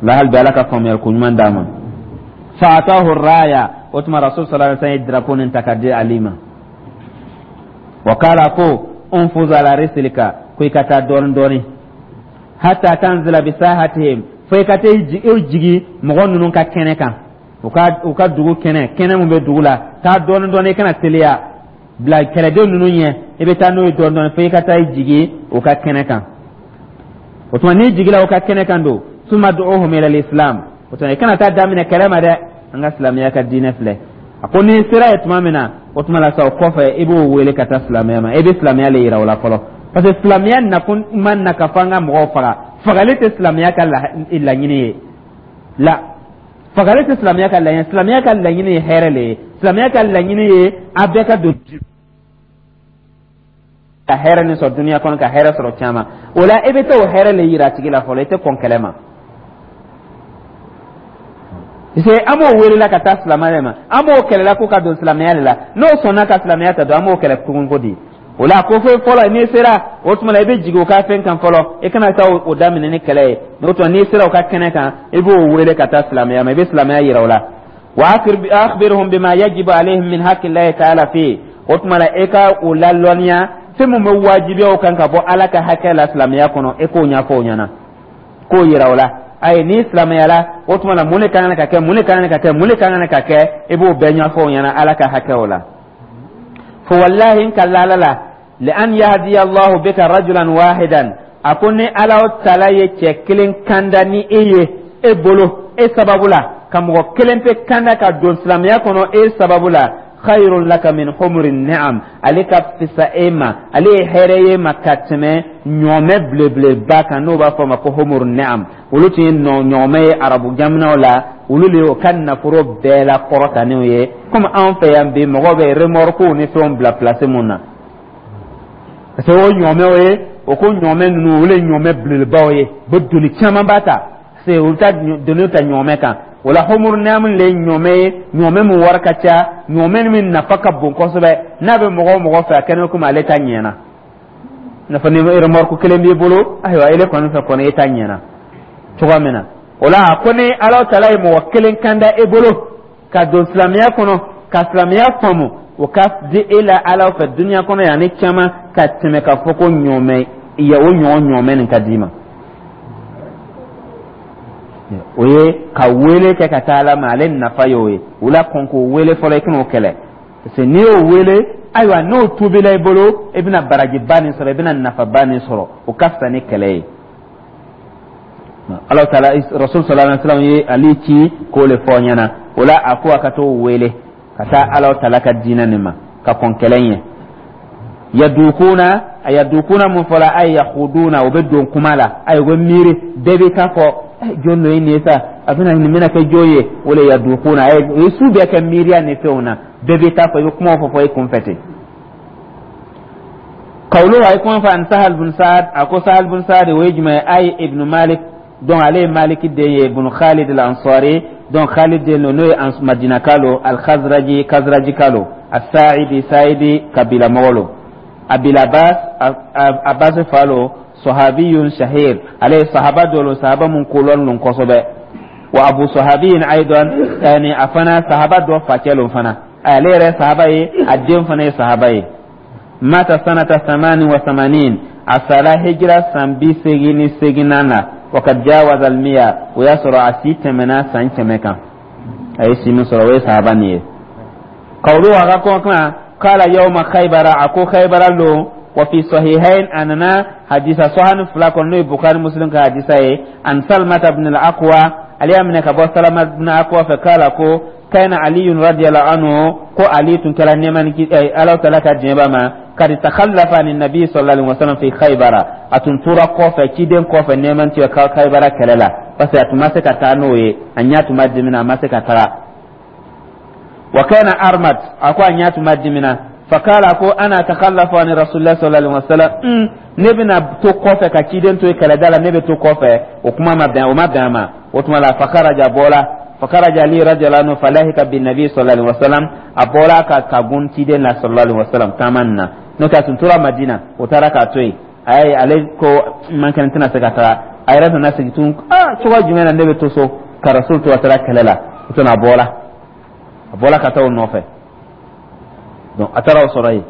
la. Hali bi, Ala ka faamuyali ko ɲuman d'an ma. Fa'atahu raya, o tuma Rasul sallallahu alaihi wasallam ye drapeau nin ta ka di Ali ma. Wa kala, ko unfuz ala rislika, ko i ka taa dɔɔni dɔɔni, hatta tanzila bi sahatihim, fo i ka taa i jigi mɔgɔ ninnu ka kɛnɛ kan, u ka dugu kɛnɛ, kɛnɛ mun bɛ dugu la. Taa dɔɔni dɔɔni, i kana teliya bila kɛlɛden ninnu ɲɛ. I bɛ taa n'o ye dɔɔni dɔɔni fo i ka taa i jigi u ka kɛnɛ kan. O tuma n'i jigila u ka kɛnɛ kan don, summa du'uhum ila al-islam. O tuma i kana taa daminɛ kɛlɛ ma dɛ, an ka silamɛya ka diinɛ filɛ. A ko n'i sera yen tuma min na, o tuma la sa, o kɔfɛ i b'o wele ka taa silamɛya ma. I bɛ silamɛya le yira o la fɔlɔ, parce que silamɛya nakun ma na ka fɔ an ka mɔgɔw faga. Fagali tɛ silamɛya ka laɲini ye. La, fagali tɛ silamɛya ka laɲini. Silamɛya ka laɲini ye hɛrɛ le ye. Silamɛya ka laɲini ye a bɛɛ ka don ka hɛrɛ nin sɔrɔ duniya kɔnɔ, ka hɛrɛ sɔrɔ caman. O la i bɛ taa o hɛrɛ le yira a tigi la fɔlɔ, i tɛ kɔn kɛlɛ ma, parce que an b'o welela ka taa silamɛya ma, an b'o kɛlɛla ko ka don silamɛya de la. N'o sɔnna ka silamɛya ta don, an b'o kɛlɛ tugun ko di? O la ko fo fɔlɔ n'i sera, o tuma la i bɛ jigin o ka fɛn kan fɔlɔ, i kana taa o daminɛ ni kɛlɛ ye. N'o tuma n'i sera o ka kɛnɛ kan, i b'o wele ka taa silamɛya ma, i bɛ silamɛya yira o la. Wa akhbirhum bima yajibu alayhim min haqqi llahi ta'ala fi, o tuma la e ka o lalɔnniya fɛn min bɛ wajibiya o kan ka bɔ Ala ka hakɛ la silamɛya kɔnɔ, e k'o ɲɛfɔ o ɲɛna, k'o yira o la. Ayi, n'i silamɛyala, o tuma la mun de ka kan ka kɛ, mun de ka kan ka kɛ, mun de ka kan ka kɛ, i b'o bɛɛ ɲɛfɔ o ɲɛna Ala ka hakɛ o la. Fo wallahi, n kala Ala la, li an yahdiya Allahu bika rajulan wahidan, a ko ni Ala taala ye cɛ kelen kanda ni e ye, e bolo, e sababu la, ka mɔgɔ kelen pe kanda ka don silamɛya kɔnɔ e sababu la, khayrun laka min humri ni'am, ale ka fisa e ma, ale ye hɛrɛ ye ma ka tɛmɛ ɲɔmɛ belebeleba kan, n'o b'a fɔ a ma ko humru ni'am. Olu tun ye ɲɔgɔmɛ ye arabu jamanaw la, olu de y'o ka nafolo bɛɛ la kɔrɔtanenw ye, komi anw fɛ yan bi mɔgɔw bɛ remorquew ni fɛnw bila place mun na, parce que o ɲɔmɛw ye, o ko ɲɔmɛ ninnu, olu ye ɲɔmɛ belebelebaw ye, bɛ doni caman ba ta, parce que olu ta doni ta ɲɔmɛ kan. O la humuru ni'am le ye ɲɔmɛ ye, ɲɔmɛ min wari ka ca, ɲɔmɛ min nafa ka bon kosɛbɛ. N'a bɛ mɔgɔ o mɔgɔ fɛ, a kɛnɛ komi ale ta ɲɛna. Nafa ni remorque kelen b'i bolo, ayiwa, ele kɔni fɛ kɔni, e ta ɲɛna cogoya min na. O la ko ni Ala taala ye mɔgɔ kelen kanda e bolo ka don silamɛya kɔnɔ, ka silamɛya faamu, o ka di e la Ala fɛ duniya kɔnɔ yan ni caman ka tɛmɛ ka fɔ ko ɲɔmɛ ya, o ɲɔgɔn ɲɔmɛ nin ka d'i ma. O ye ka wele kɛ ka taa Ala ma, ale nafa y'o ye. O la kɔn k'o wele fɔlɔ, i kan'o kɛlɛ, parce que n'i y'o wele, ayiwa, n'o tuubila i bolo, i bɛna barajiba nin sɔrɔ, i bɛna nafaba nin sɔrɔ. O ka fisa ni kɛlɛ ye. Ala taala, Rasul sallallahu alaihi wasallam ye Ali ci k'o le fɔ ɲɛna. O la a ko a ka t'o wele ka taa Ala taala ka diinɛ nin ma ka kɔn kɛlɛ ɲɛ. Yadukuna, a yadukuna mun fɔla? Ay yakhuduna, o bɛ don kuma la, ay o bɛ miiri, bɛɛ bɛ taa fɔ jɔn dɔ ye nin ye sa, a bɛna nin bɛna kɛ jɔn ye? O le yadukuna, o ye su bɛɛ kɛ miiriya ni fɛnw na, bɛɛ bɛ taa fɔ, i bɛ kumaw fɔ i kun fɛ ten. Kawlo a ye kuma fɔ an Sahal bin Saad, a ko Sahal bin Saad o ye jumɛn ye? Ay ibn Malik, donc ale ye Maliki den ye, ibn Khalid al-Ansari. Donc Khalid den lo, n'o ye Madinaka lo, al-Khazraji, Khazrajika lo, as-Sa'idi, Sa'idi kabila mɔgɔ lo, Abil Abbas, Abbas fa lo, sahabiyun shahir, ale ye sahaba dɔ lo, sahaba mun kolɔn lo kosɛbɛ, wa abu sahabiyin aidan, yani a fana sahaba dɔ facɛ lo fana, ale yɛrɛ sahaba ye, a den fana ye sahaba ye. Mata sanata 88, a sara hijira san 88nan na, wa kad jawaza almiya, o y'a sɔrɔ a si tɛmɛna san 100 kan. A ye si min sɔrɔ, o ye sahaba nin ye. Qawluhu, a ka kɔkan, qala yawma Khaybara, a ko Khaybara lon. Wa fi sahihain, a nana hadisa sahani fila kɔnɔ, n'o ye Bukhari, Muslim ka hadisa ye, an Salmata ibn al-Aqwa, ale y'a minɛ ka bɔ Salama ibn Aqwa fɛ, k'ala ko kana Aliyun radiyallahu anhu, ko Ali tun kɛra nɛɛma ni Ala taala ka diɲɛ b'a ma, kad takhallafa ani nabi sallallahu alaihi wasallam fi Khaybara, a tun tora kɔfɛ ciden kɔfɛ nɛɛma ni ka Khaybara kɛlɛ la, parce que a tun ma se ka taa n'o ye, a ɲɛ tun b'a dimina, a ma se ka taga. Wa kana armad, a ko a ɲɛ tun b'a dimina. Fakala, ko ana takhallafu ani rasulillah sallallahu alaihi wasallam, ne bɛna to kɔfɛ ka ciden to yen kɛlɛda la, ne bɛ to kɔfɛ, o kuma ma bɛn, o ma bɛn a ma. O tuma la fakaraja, bɔla, fakaraja Ali radiyallahu anhu, falahika bin nabi sallallahu alaihi wasallam, a bɔra ka gun ciden la sallallahu alaihi wasallam taama nin na, n'o tɛ a tun tora Madina, o taara k'a to yen. A ye ale ko man kɛnɛ, tɛna se ka taga. A yɛrɛ nana segin tun, aa, cogo jumɛn na ne bɛ to so ka rasul to a taara kɛlɛ la? O tuma a bɔla ka taa o nɔfɛ. Donc a taara o sɔrɔ yen.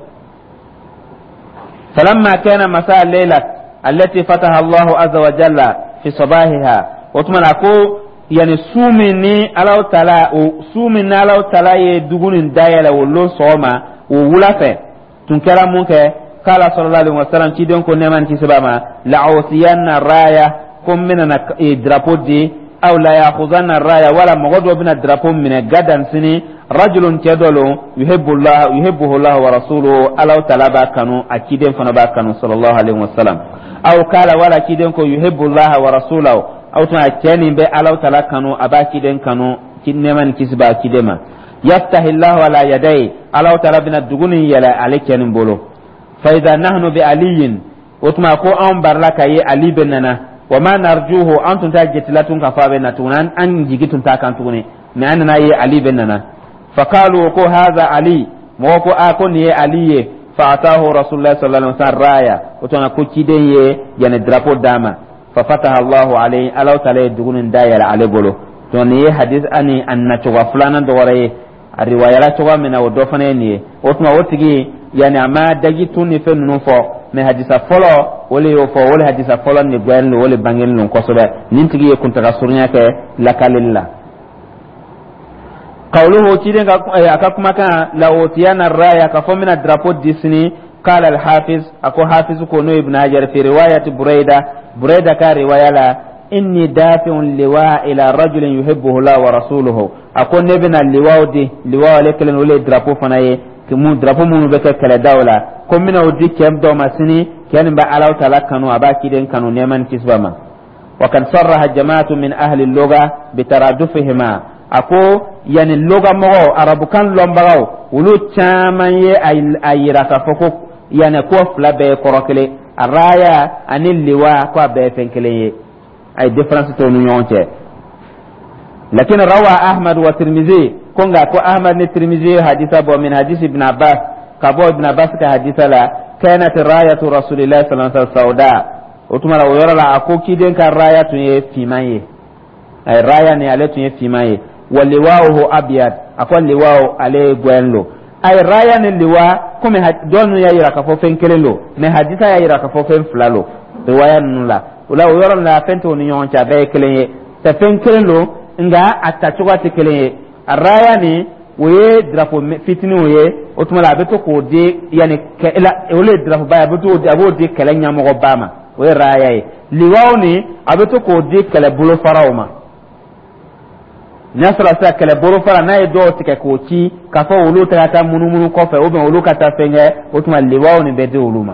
Falamma kana masa layla allati fataha Allahu azza wa jalla fi sabahiha, o tuma na ko yani su min ni Alahu taala, o su min ni Alahu taala ye dugu nin dayɛlɛ, o lon sɔgɔma, o wula fɛ tun kɛra mun kɛ? Kala sallallahu alaihi wasallam, ciden ko nɛɛma ni kisi b'a ma, la'utiyanna raya, ko n bɛna na drapeau di, aw la ya'khuzanna raya, wala mɔgɔ dɔ bɛna drapeau minɛ, gadan, sini, rajulun, cɛ dɔ lo, yuhibbullah, yuhibbuhu Allah wa rasuluhu, Alahu taala b'a kanu, a ciden fana b'a kanu sallallahu alaihi wasallam, aw kala, wala ciden ko yuhibbullah wa rasulahu, aw tuma cɛ nin bɛ Alahu taala kanu, a b'a ciden kanu, nɛɛma ni kisi b'a ciden ma, yaftahillahu ala yadayi, Alahu taala bɛna dugu nin yɛlɛ ale cɛ nin bolo. Fa idha nahnu bi aliyin, o tuma ko anw barila ka ye Ali bɛ nana, wa ma narjuhu, an tun t'a jetila tun ka fɔ a bɛ na tuguni, an jigi tun t'a kan tuguni, mais an nana ye Ali bɛ nana. Faqalu, ko hadha Ali, mɔgɔ ko a ko nin ye Ali ye. Fa atahu rasulullah sallallahu alaihi wasallam raya, o tuma ko ciden ye yani drapeau d'a ma. Fa fataha Allahu alayhi, Alahu taala ye dugu nin dayɛlɛ ale bolo. Donc nin ye hadis ani a nacogo filanan dɔ wɛrɛ ye, a riwayala cogoya min na, o dɔ fana ye nin ye. O tuma o tigi yani a ma daji tun ni fɛn ninnu fɔ, mais hadisa fɔlɔ o le y'o fɔ, o le hadisa fɔlɔ nin gbɛlen don, o le bangelen don kosɛbɛ. Nin tigi ye kuntaga surunya kɛ lakaleli la. Qawluhu, ciden ka a ka kumakan, la utiyana raya, ka fɔ n bɛna drapeau di sini. Qala al hafiz, a ko hafiz ko, n'o Ibn Hajar, fi riwayati Burayda, Burayda ka riwaya la, inni dafi'un liwa ila rajulin yuhibbuhu Allah wa rasuluhu, a ko ne bɛna liwaw di, liwaw ale kelen, o le ye drapeau fana ye, mun drapeau minnu bɛ kɛ kɛlɛdaw la, ko n bɛna o di cɛ dɔ ma sini, cɛ nin bɛ Alahu taala kanu, a b'a ciden kanu, nɛɛma ni kisi b'a ma. Wa kad sarraha jama'atu min ahli lugha bitaradufihima, a ko yani loga mɔgɔw, arabukan lɔnbagaw, olu caman ye a yira k'a fɔ ko yani ko fila bɛɛ ye kɔrɔ kelen, a raya ani liwa, ko a bɛɛ ye fɛn kelen ye, a ye différence t'o ni ɲɔgɔn cɛ. Lakin rawa Ahmad wa Tirmizi, ko nka ko Ahmad ni Tirmizi ye hadisa bɔ, min hadisi Ibn Abbas, ka bɔ Ibn Abbas ka hadisa la, kanat rayatu rasulillahi sallallahu alaihi wasallam sauda, o tuma la o yɔrɔ la, a ko ciden ka raya tun ye finman ye, a ye raya ni ale tun ye finman ye, wa liwa'uhu abyad, a ko liwa'u ale ye gwɛn lo. A ye raya ni liwa, komi dɔw ninnu y'a yira k'a fɔ fɛn kelen lo, mais hadisa y'a yira k'a fɔ fɛn fila lo riwaya ninnu la. O la o yɔrɔ la, fɛn t'o ni ɲɔgɔn cɛ, a bɛɛ ye kelen ye, tɛ fɛn kelen lo, nka a tacogoya tɛ kelen ye. A raya nin, o ye drapeau fitininw ye, o tuma la a bɛ to k'o di yanni kɛ, o le ye drapeau ba ye, a bɛ to a b'o di kɛlɛ ɲɛmɔgɔba ma, o ye raya ye. Liwaw nin, a bɛ to k'o di kɛlɛ bolofaraw ma, n'a sɔrɔ sisan kɛlɛ bolofara n'a ye dɔw tigɛ k'o ci k'a fɔ olu tɛ ka taa munumunu kɔfɛ, ou bien olu ka taa fɛn kɛ, o tuma liwaw nin bɛ di olu ma.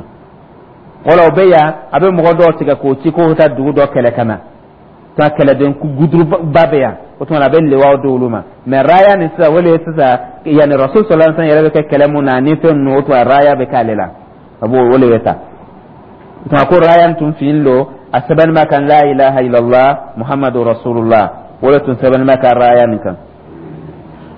Wala o bɛ yan, a bɛ mɔgɔ dɔw tigɛ k'o ci k'o bɛ taa dugu dɔ kɛlɛ ka na taa kɛlɛden guduruba bɛ yan, o tuma a bɛ liwaw di olu ma. Mais raya nin sisan, o de ye sisan yanni rasul sallallahu alaihi wasallam yɛrɛ bɛ kɛ kɛlɛ mun na ni fɛn ninnu, o tuma raya bɛ k'ale la, a b'o o de bɛ ta. O tuma ko raya tun fin lo, a sɛbɛnni b'a kan la ilaha illallah muhammadu rasulullah. O le tun sɛbɛnnen bɛ ka raya nin kan.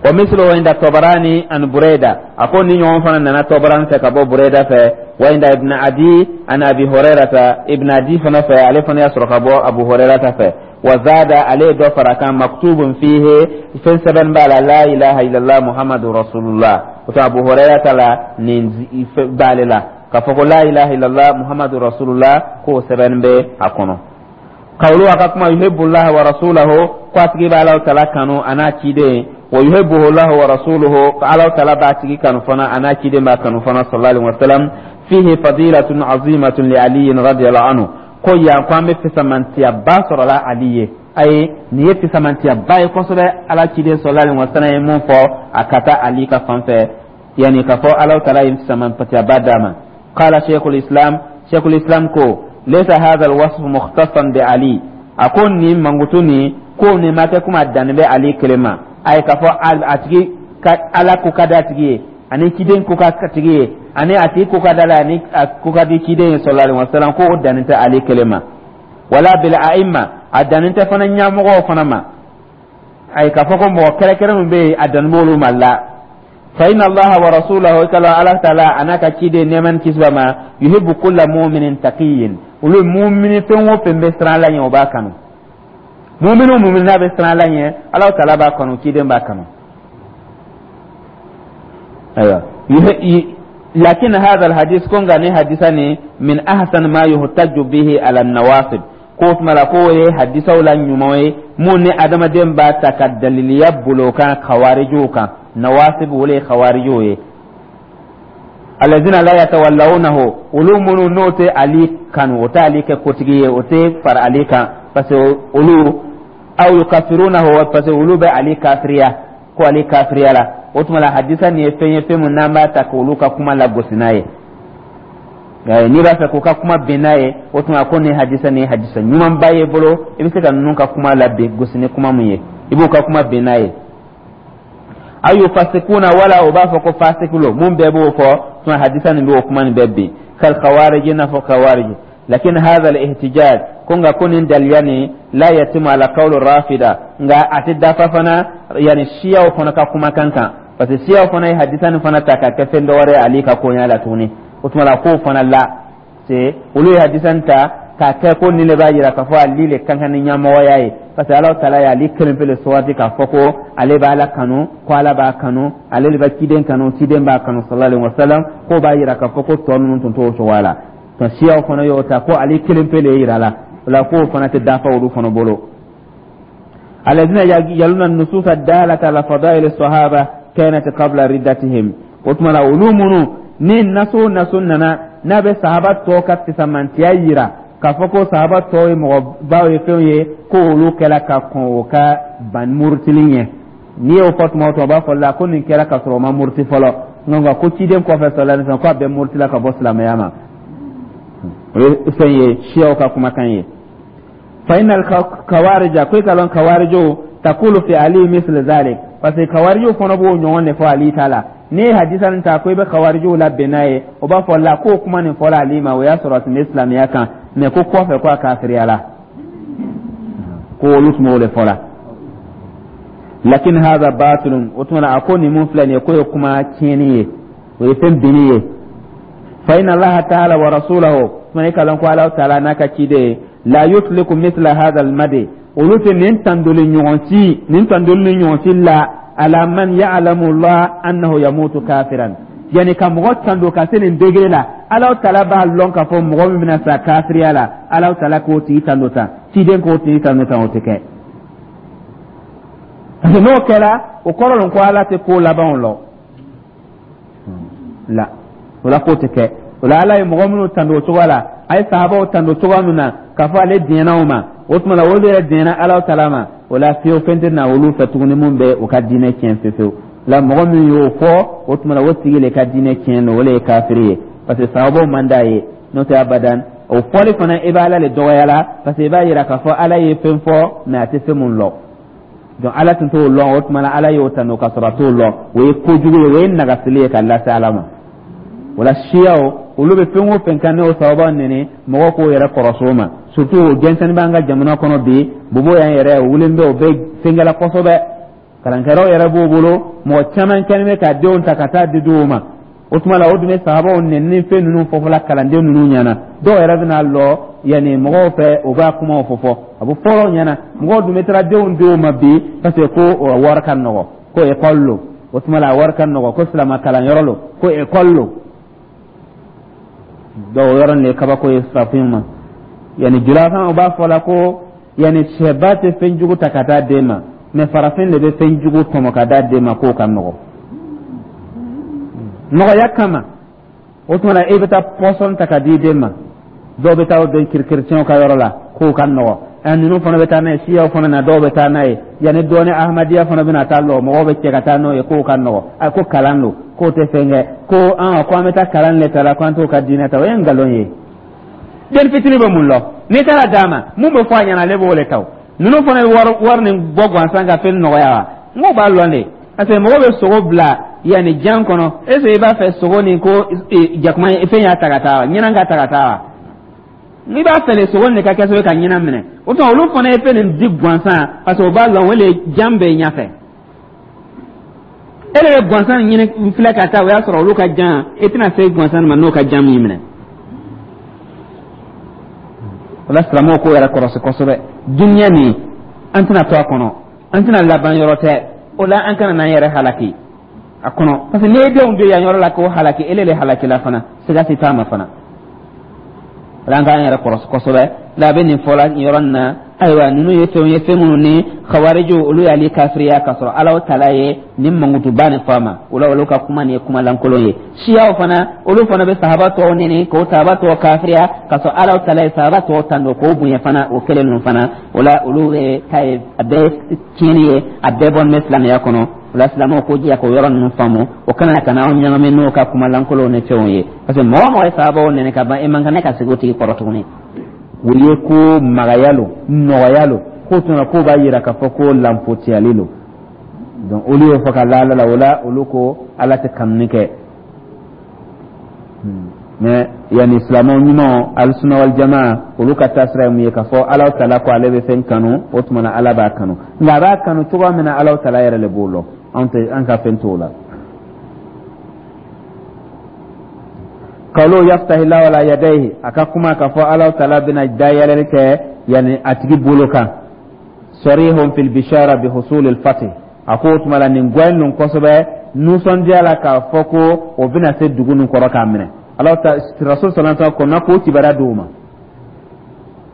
Wa misluhu inda Tabarani an Burayda, a ko ni ɲɔgɔn fana nana Tabarani fɛ ka bɔ Burayda fɛ. Wa inda Ibn Adi an Abi Hurairata, Ibn Adi fana fɛ, ale fana y'a sɔrɔ ka bɔ Abu Hurairata fɛ. Wa zada, ale ye dɔ fara kan, maktubun fihi, fɛn sɛbɛn b'a la, la ilaha illallah Muhammadu rasulullah. O to Abu Hurairata la nin b'ale la k'a fɔ ko la ilaha illallah Muhammadu rasulullah, k'o sɛbɛn bɛ a kɔnɔ. Kawulu, a ka kuma, yuhibbullah wa rasulahu, ko a tigi bɛ Alahu Taala kanu a n'a ciden, wa yuhibbuhu Allah wa rasuluhu, ko Alahu Taala b'a tigi kanu fana, a n'a ciden b'a kanu fana, sallallahu alaihi wa sallam. Fihi fadilatun azimatun li Ali radiyallahu anhu, ko yan ko an bɛ fisamantiyaba sɔrɔla Ali ye. Ayi, nin ye fisamantiyaba ye kosɛbɛ, Ala ciden sallallahu alaihi wa sallam ye mun fɔ a ka taa Ali ka fan fɛ, yani k'a fɔ Alahu Taala ye fisamantiyaba d'a ma. Qala sheikhul islam, sheikhul islam ko laysa hadha alwasf mukhtassan bi Ali, a ko nin mankutu nin, ko nin ma kɛ komi a dannin bɛ Ali kelen ma. Ayi, k'a fɔ a tigi ka Ala ko ka di a tigi ye, ani ciden ko ka tigi ye, ani a tigi ko ka d'a la, ani a ko ka di ciden ye sallallahu alaihi wasallam, ko o dannin tɛ Ali kelen ma. Wala bil a'imma, a dannin tɛ fana ɲɛmɔgɔw fana ma. Ayi, k'a fɔ ko mɔgɔ kɛrɛnkɛrɛn min bɛ yen, a dannin b'olu ma la. Fa inna Allaha wa rasulahu, kala Ala Taala a n'a ka ciden, nɛɛma ni kisi b'a ma, yuhibbu kulla mu'minin taqiyyin, olu mumini fɛn o fɛn bɛ siran Ala ɲɛ, o b'a kanu. Mumini o mumini n'a bɛ siran Ala ɲɛ, Ala Taala b'a kanu, ciden b'a kanu. Ayiwa, lakin hadha alhadith, ko nka ni hadisa ni, min ahsan ma yuhtaju bihi ala nawasib, ko tuma la k'o ye hadisaw la ɲuman ye mun ni adamaden b'a ta ka daliliya bolo kan kawarijiw kan. Nawasib, olu ye kawarijiw ye, alazina la yatawallawnahu, olu minnu n'o tɛ Ali kanu, o tɛ Ali kɛ kotigi ye, o tɛ fara Ali kan, parce que olu aw yukafirunahu, parce que olu bɛ Ali kafiriya, ko Ali kafiriya la. O tuma la hadisa nin ye fɛn ye, fɛn min n'an b'a ta k'olu ka kuma lagosi n'a ye. N'i b'a fɛ k'u ka kuma bin n'a ye, o tuma ko nin hadisa nin ye hadisa ɲumanba ye bolo, i bɛ se ka ninnu ka kuma lagosi ni kuma mun ye, i b'u ka kuma bin n'a ye. Aw yufasikuna, wala o b'a fɔ ko fasikulo mun bɛɛ b'o fɔ, tuma hadisa nin b'o kuma nin bɛɛ bin. Kal khawarij, n'a fɔ khawarij. Lakin hadha al ihtijaj, ko nka ko nin daliya nin, la yatimu ala qawlu rafida, nka a tɛ dafa fana, yani siyaw fana ka kumakan kan, parce que siyaw fana ye hadisa nin fana ta ka kɛ fɛn dɔ wɛrɛ ye Ali ka koɲa la tuguni. O tuma la k'o fana la c'est olu ye hadisa nin ta k'a kɛ ko nin de b'a jira k'a fɔ Ali le ka kan ni ɲɛmɔgɔya ye, parce que Ala Taala ye Ali kelen pe le sugandi k'a fɔ ko ale b'Ala kanu, ko Ala b'a kanu, ale de bɛ ciden kanu, ciden b'a kanu, sallallahu alaihi wasallam. K'o b'a jira k'a fɔ ko tɔ ninnu tun t'o cogoya la. Nka siyaw fana y'o ta ko Ale kelen pe le yira la. O la k'o fana tɛ dafa olu fana bolo. Alladhina yaluna nusus ad-dalata ala fadail as-sahaba kanat qabla riddatihim, o tuma la olu minnu ni naso naso nana n'a bɛ sahaba tɔw ka fisamantiya yira k'a fɔ ko sahaba tɔw ye mɔgɔbaw ye, fɛnw ye, ko olu kɛla ka kɔn o ka ban murutili ɲɛ. N'i y'o fɔ tuma o tuma, o b'a fɔ la ko nin kɛra ka sɔrɔ o ma muruti fɔlɔ, nka ko ciden kɔfɛ sallallahu alaihi wasallam ko a bɛɛ murutila ka bɔ silamɛya ma. O ye fɛn ye, siyaw ka kumakan ye. Fa innal kawarija, ko i ka lɔn kawarijow, takulu fi Ali misl zalik, parce que kawarijow fana b'o ɲɔgɔn de fɔ Ali ta la. N'i ye hadisa nin ta ko i bɛ kawarijow labɛn n'a ye, o b'a fɔ la k'o kuma nin fɔra Ali ma, o y'a sɔrɔ a tun bɛ silamɛya kan, mais ko kɔfɛ ko a kafiriyala, ko olu tun b'o de fɔ la. Lakin hadha batilun, o tuma na a ko nin mun filɛ nin ye, k'o ye kuma tiɲɛni ye, o ye fɛn binni ye. Fa inna Allaha ta'ala wa rasulahu, tuma i ka lɔn ko Ala Taala n'a ka ciden, la yutliku mithla hadha al-madi, olu tɛ nin tandoli ɲɔgɔn si, nin tandoli ni ɲɔgɔn si la, ala man ya'lamu Allah annahu yamutu kafiran, yani ka mɔgɔ tando ka se nin degré la, Ala Taala b'a lɔn k'a fɔ mɔgɔ min bɛna sa kafiriya la, Ala Taala k'o tigi tando tan, ciden k'o tigi tando tan, o tɛ kɛ, parce que n'o kɛra, o kɔrɔ lon ko Ala tɛ ko labanw lɔ la. O la k'o tɛ kɛ. O la Ala ye mɔgɔ minnu tando o cogoya la, a ye sahabaw tando cogoya min na k'a fɔ ale diɲɛna o ma, o tuma la olu yɛrɛ diɲɛna Ala Taala ma. O la fiyewu, fɛn tɛ na olu fɛ tuguni mun bɛ u ka diinɛ tiɲɛ fiyewu. La mɔgɔ min y'o fɔ, o tuma la o tigi le ka diinɛ tiɲɛ don, o le ye kafiri ye, parce que sahabaw man d'a ye. N'o tɛ abadan, o fɔli fana, i b'a Ala le dɔgɔya la, parce que i b'a yira k'a fɔ Ala ye fɛn fɔ, mais a tɛ fɛn mun lɔ. Donc Ala tun t'o lɔn, o tuma la Ala y'o tanu ka sɔrɔ a t'o lɔn. O ye kojugu ye, o ye nagasili ye ka lase Ala ma. O la siyaw, Olu bɛ fɛn o fɛn kan, n'o sababu neni, mɔgɔ k'o yɛrɛ kɔrɔsi o ma. Surtout o jɛnsɛnni b'an ka jamana kɔnɔ bi, bobo yan yɛrɛ, o wulilen bɛ, o bɛ fɛnkɛla kosɛbɛ. Kalankɛlaw yɛrɛ b'o bolo, mɔgɔ caman kɛlen bɛ ka denw ta ka taa di dɔw ma. O tuma la, o dun bɛ sahabaw nɛni fɛn ninnu fɔfɔla kalanden ninnu ɲɛna. Dɔw yɛrɛ bɛna lɔ yanni mɔgɔw fɛ, u b'a kumaw fɔ fɔ, a bɛ fɔlɔ ɲɛna. Mɔgɔw dun bɛ taara denw d'o ma bi, parce que ko wari ka nɔgɔ, ko ekɔli lo. O tuma la, a wari ka nɔgɔ, ko silama kalanyɔrɔ lo, ko ekɔli lo. Dɔw o yɔrɔ nin ye kabako ye farafinw ma. Yanni julakan, u b'a fɔ la ko yanni sɛba tɛ fɛn jugu ta ka taa den ma, mais farafin de bɛ fɛn jugu tɔmɔ ka d'a den ma, k'o ka nɔgɔ nɔgɔya kama. O tuma na, e bɛ taa pɔsɔn ta ka di den ma. Dɔw bɛ taa o den kerecɛnw ka yɔrɔ la, k'o ka nɔgɔ. Ɛ, ninnu fana bɛ taa n'a ye, siyaw fana na, dɔw bɛ taa n'a ye. Yanni dɔɔni, ahmadiyya fana bɛna taa lɔ, mɔgɔw bɛ cɛ ka taa n'o ye, k'o ka nɔgɔ. A ko kalan don, k'o tɛ fɛn kɛ, ko an ko an bɛ taa kalan le ta la, ko an t'o ka diinɛ ta. O ye nkalon ye. Den fitinin bɛ mun lɔn? N'i taara d'a ma, mun bɛ fɔ a ɲɛna, ale b'o le ta. O ninnu fana ye wari wari nin bɔ gansan ka fɛn nɔgɔya wa? N k'o b'a lɔn de, parce que mɔgɔ bɛ sogo bila yanni jan kɔnɔ, est ce que i b'a fɛ sogo nin ko jakuma fɛn y'a ta ka taa wa, ɲinan ka ta ka taa wa? N'i b'a fɛ sogo nin ka kɛ sababu ye ka ɲinan minɛ, o tuma olu fana ye fɛn nin di gansan, parce que o b'a lɔn o le jan bɛ ɲɛfɛ. E de bɛ gansan ɲini filɛ ka taa, o y'a sɔrɔ olu ka jan, e tɛna se gansan ma n'o ka jan min minɛ. O la, silamɛw k'o yɛrɛ kɔrɔsi kosɛbɛ. Duniya nin, an tɛna to a kɔnɔ, an tɛna laban yɔrɔ tɛ. O la, an kana n'an yɛrɛ halaki a kɔnɔ, parce que n'i ye denw don yan yɔrɔ la k'o halaki, ele le halakila fana, siga si t'a ma fana. O la, an k'an yɛrɛ kɔrɔsi kosɛbɛ. La a bɛ nin fɔla nin yɔrɔ nin na. Ayiwa, ninnu ye fɛnw ye, fɛn minnu ni khawariju olu y'ale kafiriya, k'a sɔrɔ Ala tala ye nin mankutuba nin fɔ a ma. O la, olu ka kuma nin ye kuma lankolon ye. Siyaw fana, olu fana bɛ sahaba tɔw neni, k'o sahaba tɔw kafiriya, k'a sɔrɔ Ala tala ye sahaba tɔw tando k'o bonya fana, o kelen ninnu fana. O la, olu bɛ ta ye, a bɛɛ ye tiɲɛni ye, a bɛɛ bɔlen bɛ silamɛya kɔnɔ. O la, silamɛw ko jija k'o yɔrɔ ninnu faamu, o kana ka na anw ɲagami n'o ka kuma lankolonw ni fɛnw ye, parce que mɔgɔ mɔgɔ ye sahabaw nɛni ka ban, e man kan ne ka sigi o tigi kɔrɔ tuguni. O ye ko magaya lo, nɔgɔya lo, k'o tuma k'o b'a yira k'a fɔ ko lanfotiyali lo. Donc olu y'o fɔ ka la Ala la. O la, olu ko Ala tɛ kanuni kɛ. Mais yanni silamɛw ɲumanw, alisuna wal jamaa, olu ka taasira ye mun ye? K'a fɔ Ala tala ko ale bɛ fɛn kanu, o tuma na Ala b'a kanu. Nka a b'a kanu cogoya min na, Ala tala yɛrɛ le b'o lɔn, anw tɛ, an ka fɛn t'o la. Qawlu yaftahi lahu ala yadayhi, a ka kuma k'a fɔ Ala tala bɛna dayɛlɛli kɛ yanni a tigi bolo kan, sarihun fil bishara bi husul al fath. A ko o tuma la, nin gɔyɛn ninnu kosɛbɛ nisɔndiya la k'a fɔ ko o bɛna se dugu nin kɔrɔ k'a minɛ. Ala ta rasul sallallahu alaihi wasallam kɔnna k'o kibaruya d'o ma.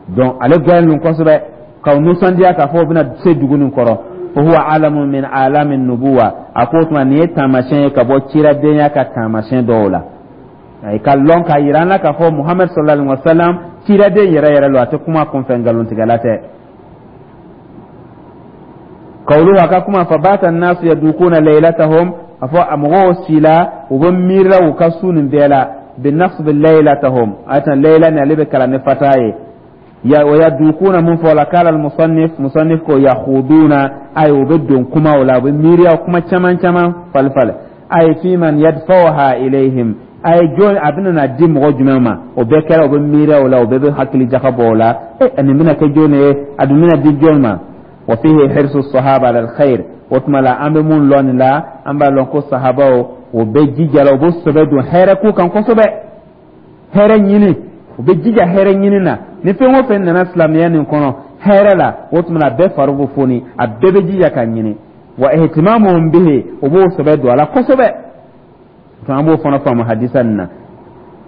Donc ale gɔyɛn ninnu kosɛbɛ k'aw nisɔndiya k'a fɔ o bɛna se dugu nin kɔrɔ. Fa huwa alamun min alami nubuwa. A ko o tuma, nin ye taamasiyɛn ye ka bɔ ciradenya ka taamasiyɛn dɔw la, i ka lɔn k'a yira an na k'a fɔ Muhamadu sallallahu alaihi wa sallam ciraden yɛrɛ yɛrɛ lo, a tɛ kuma kunfɛ, nkalontigɛla tɛ. Kawulu, a ka kuma, fa bata nasu yadukuna laylatahum, a fɔ a mɔgɔw sila, u bɛ miirila u ka su nin bɛɛ la, bi nasbi laylatahum, a tan layla ni ale bɛ kalan ni fata ye. Ya wa yadukuna mun fɔ la? Kala musannif, musannif ko yakhuduna, ay u bɛ don kumaw la, u bɛ miiriya kuma caman caman fali fali. Ay fi man yadfa'uha ilayhim, a ye jɔn a bɛna na di mɔgɔ jumɛn ma? O bɛɛ kɛra, u bɛ miiriya o la, u bɛɛ bɛ hakili jagabɔ o la. E, nin bɛna kɛ jɔn ye? A dun bɛna di jɔn ma? Wa fihi hirsu sahaba ala alkhair. O tuma la, an bɛ mun lɔn nin la? An b'a lɔn ko sahabaw, o bɛ jija la, u bɛ sɛbɛ don hɛrɛ ko kan kosɛbɛ, hɛrɛ ɲini, u bɛ jija hɛrɛ ɲini na. Ni fɛn o fɛn nana silamɛya nin kɔnɔ hɛrɛ la, o tuma a bɛɛ fari bɛ foni, a bɛɛ bɛ jija ka ɲini. Wa ihtimamuhum bihi, o b'o sɛbɛ don a la kosɛbɛ. An b'o fana faamu hadisa nin na.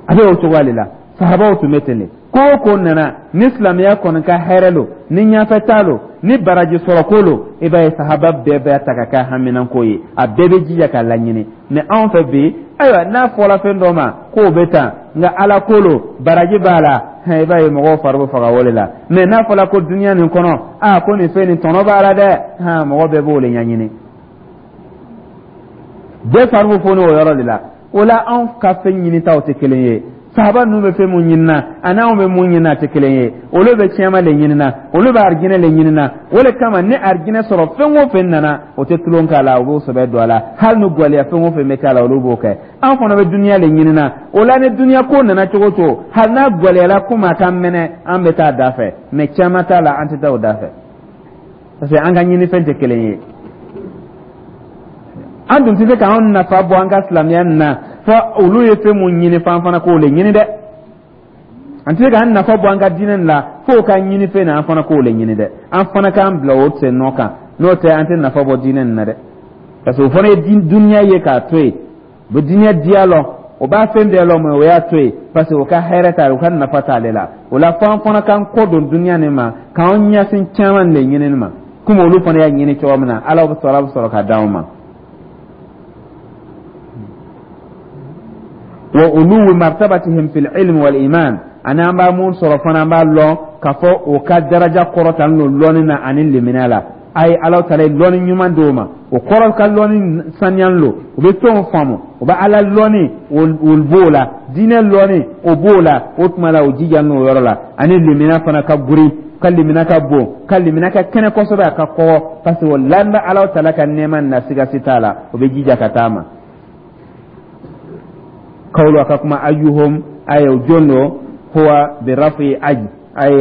A bɛ o cogoya de la, sahabaw tun bɛ ten de. Ko o ko nana ni silamɛya kɔni ka hɛrɛ lo, ni ɲɛfɛta lo, ni baraji sɔrɔ ko lo, i b'a ye sahaba bɛɛ b'a ta ka kɛ haminanko ye, a bɛɛ bɛ jija k'a laɲini. Mais anw fɛ bi, ayiwa, n'a fɔra fɛn dɔ ma k'o bɛ tan, nka Ala ko lo, baraji b'a la, i b'a ye mɔgɔw fari bɛ faga o de la. Mais n'a fɔra ko duniya nin kɔnɔ, aa, ko nin fɛn nin tɔnɔ b'a la dɛ, hɔn, mɔgɔ bɛɛ b'o de ɲɛɲini, bɛɛ fari bɛ foni o yɔrɔ de la. O la, anw ka fɛn ɲinitaw tɛ kelen ye. Sahaba ninnu bɛ fɛn mun ɲinina ani anw bɛ mun ɲinina, a tɛ kelen ye. Olu bɛ tiɲɛma le ɲinina, olu bɛ arijinɛ le ɲinina. O le kama ni arijinɛ sɔrɔ fɛn o fɛn nana, o tɛ tulon k'a la, u b'o sɛbɛ don a la. Hali ni gwɛlɛya fɛn o fɛn bɛ k'a la, olu b'o kɛ. An fana bɛ duniya le ɲinina. O la ni duniya ko nana cogo o cogo, hali n'a gwɛlɛyala komi a ka mɛnɛ, an bɛ taa da fɛ. Mɛ caman t'a la, an tɛ taa o da fɛ, parce que an ka ɲinifɛn tɛ kelen ye. An dun tɛ se k'an nafa bɔ an ka silamɛya nin na fɔ olu ye fɛn mun ɲini, f'an fana k'o le ɲini dɛ. An tɛ se k'an nafa bɔ an ka diinɛ nin la f'o ka ɲini fɛn na, an fana k'o le ɲini dɛ. An fana k'an bila o sen nɔ kan, n'o tɛ an tɛ nafa bɔ diinɛ nin na dɛ, parce que o fana ye duniya ye k'a to yen. U bɛ diinɛ diya lɔn, o b'a fɛn bɛɛ lɔn, mɛ o y'a to yen parce que o ka hɛrɛ t'ale, o ka nafa t'ale la. O la fo an fana k'an kɔ don duniya nin ma, k'an ɲɛsin caman de ɲinini ma, komi olu fana y'a ɲini cogo min na. Ala bɛ sɔrɔ ka d'anw ma. Wa uluwi martabatihim fil ilmi wal iman, ani an b'a mun sɔrɔ fana, an b'a lɔn k'a fɔ o ka daraja kɔrɔtalen don lɔnni na ani limaniya la. A ye Ala taala ye lɔnni ɲuman d'o ma, o kɔrɔ ka lɔnni saniyan lo, u bɛ fɛnw faamu, u bɛ Ala lɔnni, o b'o la, diinɛ lɔnni, o b'o la. O tuma la o jija n'o yɔrɔ la, ani limaniya fana ka guri, ka limaniya ka bon, ka limaniya ka kɛnɛ kosɛbɛ, a ka kɔgɔ, parce que o laban Ala taala ka nɛɛma na, sigasi t'a la, o bɛ jija ka taa ma. Kawlu, a ka kuma, ayuhum, ay o jon do, huwa bi rafi ay, ay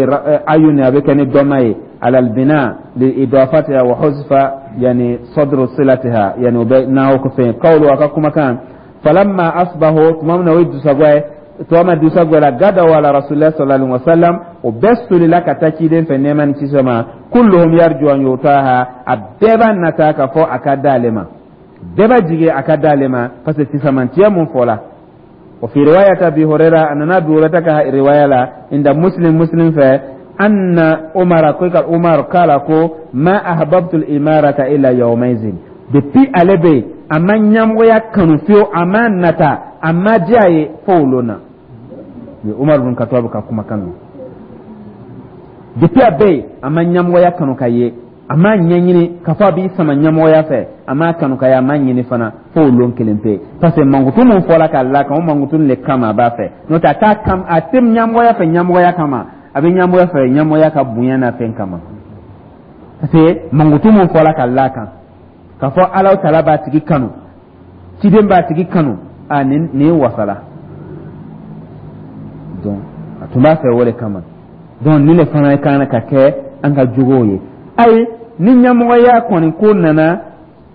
ayun, a bɛ kɛ ni dɔma ye, ala albina li idafatiha wa huzfa yani sadru silatiha, yani o bɛ n'aw ko fɛn. Kawlu, a ka kumakan, falamma asbahu, tuma min na o ye dusagwa ye, tuma min dusagwa la, gadaw ala rasulillah sallallahu alaihi wasallam, o bɛɛ solila ka taa ciden fɛ, nɛɛma ni kisi ma. Kulluhum yarju an yutaha, a bɛɛ b'a nata k'a fɔ a ka d'ale ma, bɛɛ b'a jigi a ka d'ale ma, parce que fisamantiya mun fɔla. Wa fi riwayat Abi Huraira, a nana Abi Huraira ka riwaya la, inda Muslim, Muslim fɛ, anna Umar, ko ka Umar kala ko ma ahbabtu al-imarata illa yawmaizin. Depuis ale bɛ yen, a ma ɲɛmɔgɔya kanu fiyewu, a ma nata, a ma diya a ye fo o lon na. Ni Umar bin Khattab ka kumakan don. Depuis a bɛ yen, a ma ɲɛmɔgɔya kanu ka ye, a m'a ɲɛɲini k'a fɔ a b'i sama ɲɛmɔgɔya fɛ, a m'a kanu ka ye, a m'a ɲini fana fo o lon kelen pe, parce que mankutu mun fɔla k'a la kan, o mankutu de kama a b'a fɛ. N'o tɛ a t'a kam, a tɛ ɲɛmɔgɔya fɛ ɲɛmɔgɔya kama, a bɛ ɲɛmɔgɔya fɛ ɲɛmɔgɔya ka bonya n'a fɛn kama, parce que mankutu mun fɔla k'a la kan, k'a fɔ Ala taala b'a tigi kanu, ciden b'a tigi kanu, a nin wasala. Donc a tun b'a fɛ o de kama. Donc nin de fana kan ka kɛ an ka jogow ye. Ayi, ni ɲɛmɔgɔya kɔni ko nana,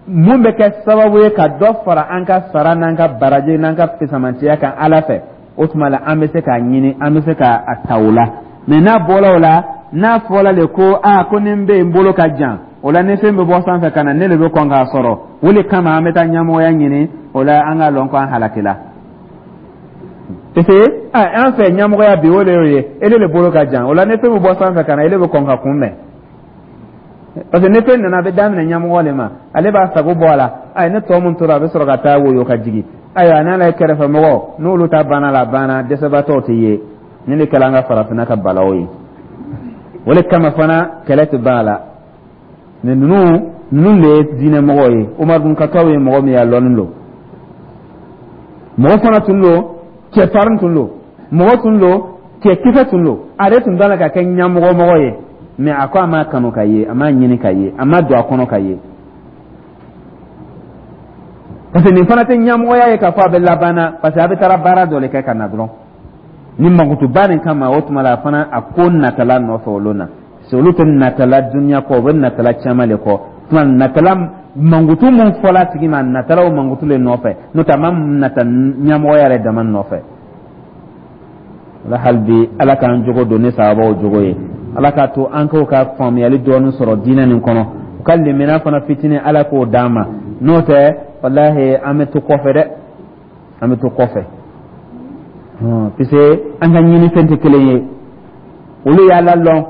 mun bɛ kɛ sababu ye ka dɔ fara an ka sara n'an ka baraje n'an ka fisamantiya kan Ala fɛ, o tuma la an bɛ se k'a ɲini, an bɛ se k'a ta o la. Mɛ n'a bɔra o la, n'a fɔla de ko aa, ko ni n bɛ yen, n bolo ka jan, o la ni fɛn bɛ bɔ sanfɛ ka na, ne de bɛ kɔn k'a sɔrɔ, o de kama an bɛ taa ɲɛmɔgɔya ɲini, o la an k'a lɔn ko an halakila, parce que an fɛ ɲɛmɔgɔya bi, o de y'o ye, ele de bolo ka jan. O la ni fɛn bɛ bɔ sanfɛ ka na, ele bɛ kɔn ka kunbɛn, parce que ni fɛn nana, a bɛ daminɛ ɲɛmɔgɔ de ma, ale b'a sago bɔ a la. Ayi, ne tɔ mun tora, a bɛ sɔrɔ ka taa woyo ka jigin. Ayiwa, n'ala ye kɛrɛfɛ mɔgɔ n'olu ta banna la, a banna, dɛsɛbaatɔw tɛ ye. Nin de kɛra an ka farafinna ka balaw ye. O de kama fana kɛlɛ tɛ ban a la. Mɛ ninnu de ye diinɛ mɔgɔw ye. Umar bin Khattab ye mɔgɔ min ye, a lɔnnen don, mɔgɔ fana tun don, cɛfarin tun don, mɔgɔ tun don, cɛkisɛ tun don. Ale tun t'a la ka kɛ ɲɛmɔgɔ mɔgɔ ye, mɛ a ko a m'a kanu ka ye, a m'a ɲini ka ye, a ma don a kɔnɔ ka ye, parce que nin fana tɛ ɲɛmɔgɔya ye k'a fɔ a bɛ laban na, parce que a bɛ taara baara dɔ de kɛ ka na dɔrɔn. Ni mankutuba nin kama, o tuma la a fana a ko natala nɔfɛ olu na, parce que olu tɛ natala dunuya kɔ, u bɛ natala caman de kɔ. Tuma natala mankutu mun fɔla a tigi ma, a natala o mankutu de nɔfɛ, n'o tɛ a ma nata ɲɛmɔgɔya yɛrɛ dama nɔfɛ. Ala, hali bi Ala k'an jogo don ni sababaw jogo ye. Ala k'a to an k'o ka faamuyali dɔɔni sɔrɔ diinɛ nin kɔnɔ, u ka limaniya fana fitinin, Ala k'o d'an ma. N'o tɛ, walahi, an bɛ to kɔfɛ dɛ, an bɛ to kɔfɛ, puisque an ka ɲinifɛn tɛ kelen ye. Olu y'Ala lɔn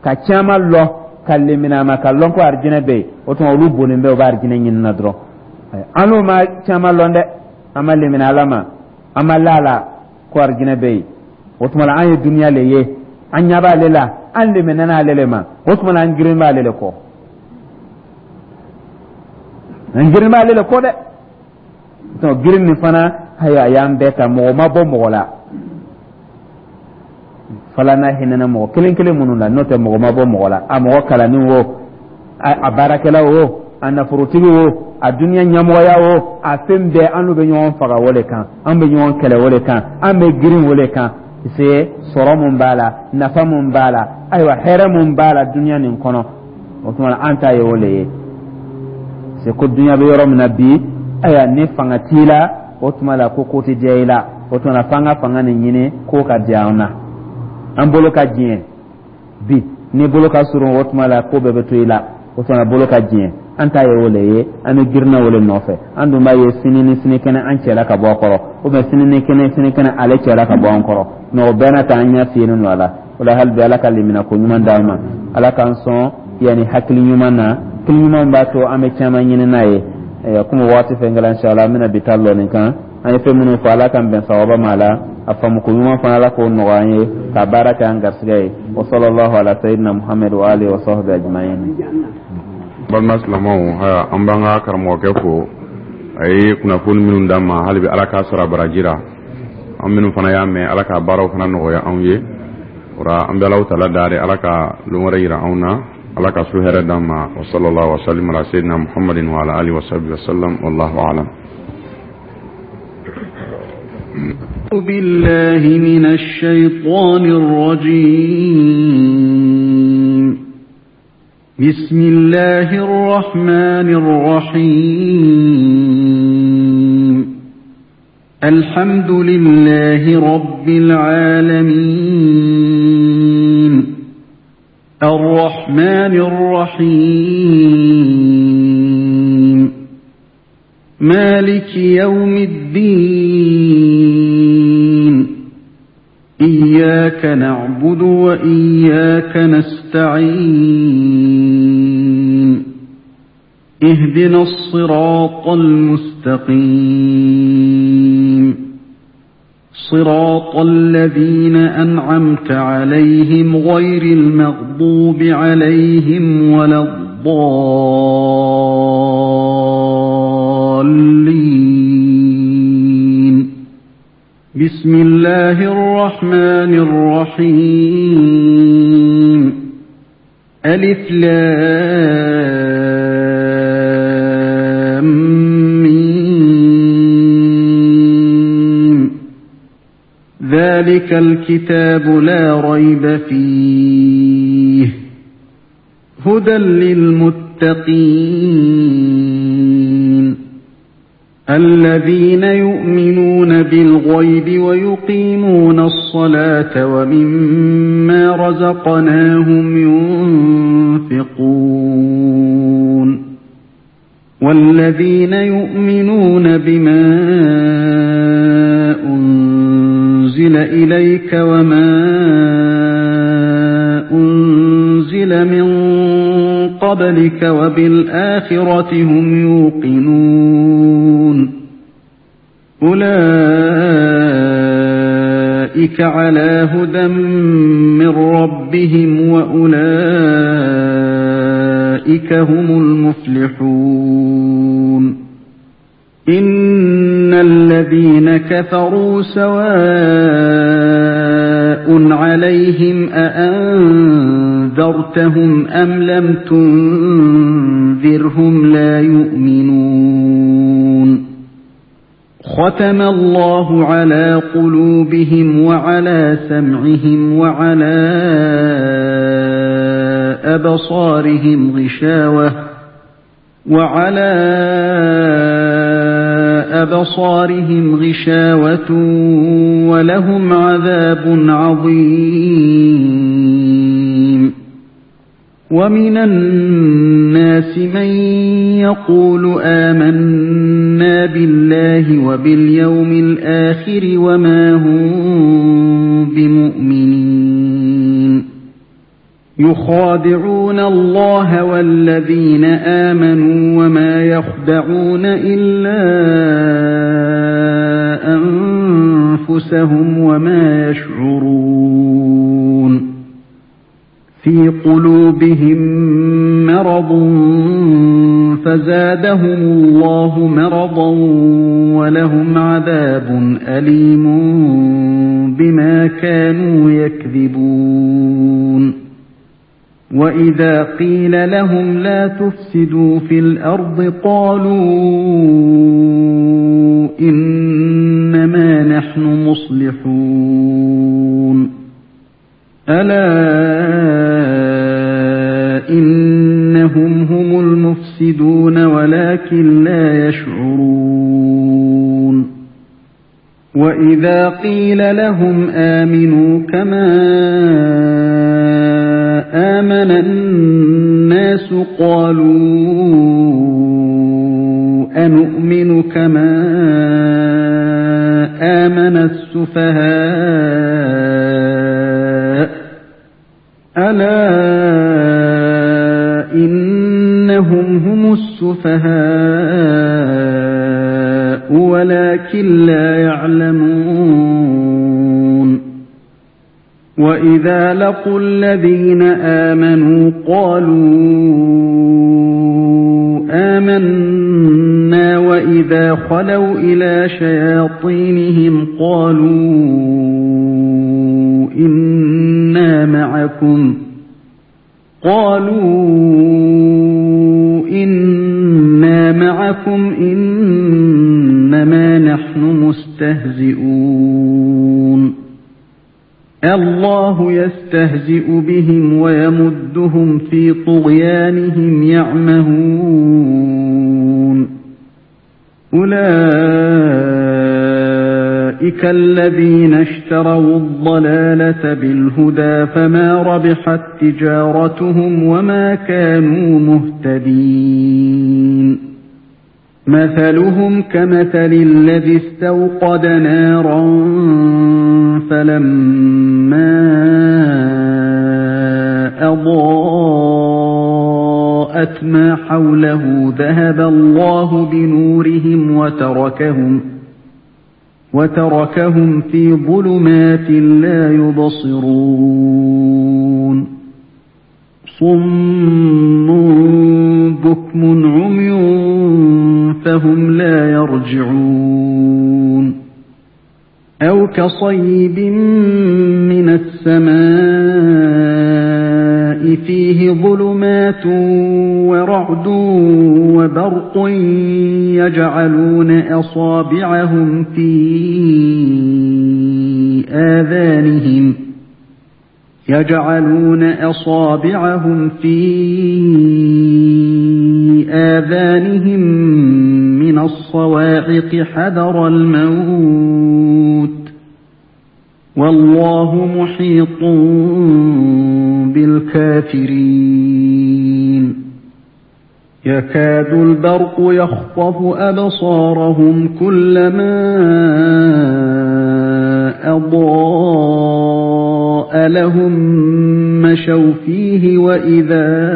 ka caman lɔn, ka limaniya ma, ka lɔn ko arijinɛ bɛ yen. O tuma olu bonnen bɛ, u bɛ arijinɛ ɲini na dɔrɔn. An n'u ma caman lɔn dɛ, an ma limaniya Ala ma, an ma la la ko arijinɛ bɛ yen. O tuma la an ye duniya le ye, an ɲɛ b'ale la, an limaniya ale le ma. O tuma la an girin b'ale le kɔ, an girin b'ale le kɔ dɛ. Girin nin fana, ayiwa, a y'an bɛɛ ta, mɔgɔ ma bɔ mɔgɔ la. Fala n'a hinɛna mɔgɔ kelen kelen minnu la, n'o tɛ mɔgɔ ma bɔ mɔgɔ la, a mɔgɔ kalannin wo, a baarakɛla wo, a nafolotigi wo, a duniya ɲɛmɔgɔya wo, a fɛn bɛɛ, an n'u bɛ ɲɔgɔn faga o de kan, an bɛ ɲɔgɔn kɛlɛ o de kan, an bɛ girin o de kan. Se sɔrɔ mun b'a la, nafa mun b'a la, ayiwa, hɛrɛ mun b'a la duniya nin kɔnɔ, o tuma na an ta ye o de ye. Se ko duniya bɛ yɔrɔ min na bi, ayiwa, ni fanga t'i la, o tuma la ko ko tɛ diya i la. O tuma na f'an ka fanga nin ɲini ko ka diya an na, an bolo ka diɲɛ bi. Ni bolo ka surun, o tuma la ko bɛɛ bɛ to i la. O tuma na bolo ka diɲɛ, an ta ye o le ye, an bɛ girinna o le nɔfɛ. An dun b'a ye sini ni sinikɛnɛ an cɛla ka bɔ a kɔrɔ, ou bien sini ni kɛnɛ sinikɛnɛ ale cɛla ka bɔ an kɔrɔ. Mais o bɛɛ n'a ta, an ɲɛ fiyelen don a la. O la, hali bi, Ala ka limina ko ɲuman d'an ma, Ala k'an sɔn yanni hakili ɲuman na. Hakili ɲuman b'a to an bɛ caman ɲini n'a ye. Komi waati fɛn kɛla, inshallah an bɛna bi ta lɔ nin kan. An ye fɛn minnu fɔ, Ala k'an bɛn sawaba ma. A la a faamuko ɲuman fana, Ala k'o nɔgɔya an ye ka baara kɛ an garisɛgɛ ye. Wa sallallahu ala sayyidina Muhammad wa alihi wa sahbihi ajma'in. Balima silamɛw, haya, an b'an ka karamɔgɔkɛ fo, a ye kunnafoni minnu d'an ma. Hali bi, Ala k'a sɔrɔ a baraji ra. An minnu fana y'a mɛn, Ala ka baaraw fana nɔgɔya anw ye. O la, an bɛ Alahu taala dari, Ala ka lon wɛrɛ yira anw na, Ala ka su hɛrɛ d'an ma. Wa sallallahu wa sallim ala sayyidina Muhammadin wa ala alihi wa sahbihi wa sallam. Wallahu alam. بالله من الشيطان الرجيم. بسم الله الرحمن الرحيم. الحمد لله رب العالمين. الرحمن الرحيم. مالك يوم الدين. إياك نعبد وإياك نستعين. اهدنا الصراط المستقيم. صراط الذين أنعمت عليهم غير المغضوب عليهم ولا الضالين. بسم الله الرحمن الرحيم. ألف لام ميم. ذلك الكتاب لا ريب فيه، هدى للمتقين، الذين يؤمنون بالغيب ويقيمون الصلاة ومما رزقناهم ينفقون، والذين يؤمنون بما أنزل إليك وما أنزل من قبلك وبالآخرة هم يوقنون. أولئك على هدى من ربهم وأولئك هم المفلحون. إن الذين كفروا سواء عليهم أأنذرتهم أم لم تنذرهم لا يؤمنون. ختم الله على قلوبهم وعلى سمعهم وعلى أبصارهم غشاوة ولهم عذاب عظيم. ومن الناس من يقول آمنا بالله وباليوم الآخر وما هم بمؤمنين. يخادعون الله والذين آمنوا وما يخدعون إلا أنفسهم وما يشعرون. في قلوبهم مرض فزادهم الله مرضا ولهم عذاب أليم بما كانوا يكذبون. وإذا قيل لهم لا تفسدوا في الأرض قالوا إنما نحن مصلحون. ألا إنهم هم المفسدون ولكن لا يشعرون. وإذا قيل لهم آمنوا كما آمن الناس قالوا أنؤمن كما آمن السفهاء ألا إنهم هم السفهاء ولكن لا يعلمون. وإذا لقوا الذين آمنوا قالوا آمنا وإذا خلوا إلى شياطينهم قالوا إنا معكم إنما نحن مستهزئون. الله يستهزئ بهم ويمدهم في طغيانهم يعمهون. أولئك الذين اشتروا الضلالة بالهدى فما ربحت تجارتهم وما كانوا مهتدين. مثلهم كمثل الذي استوقد نارا فلما أضاءت ما حوله ذهب الله بنورهم وتركهم في ظلمات لا يبصرون. صم بكم عمي فهم لا يرجعون. أو كصيب من السماء فيه ظلمات ورعد وبرق يجعلون أصابعهم في آذانهم من الصواعق حذر الموت والله محيط بالكافرين. يكاد البرق يخطف أبصارهم كلما أضاء لهم مشوا فيه وإذا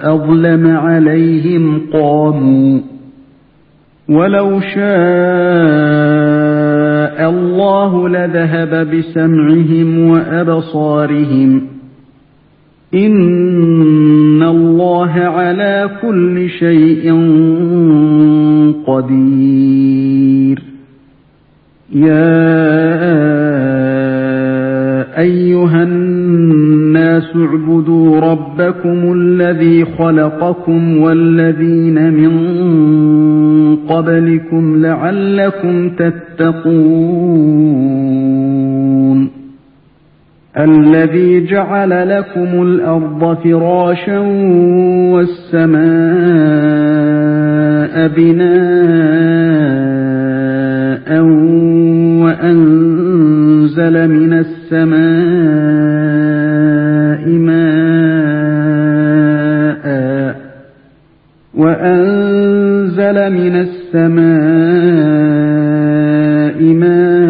أظلم عليهم قاموا. ولو شاء الله لذهب بسمعهم وأبصارهم إن الله على كل شيء قدير. يا أيها الناس اعبدوا ربكم الذي خلقكم والذين من قبلكم لعلكم تتقون. الذي جعل لكم الأرض فراشا والسماء بناء وأنزل من السماء ماء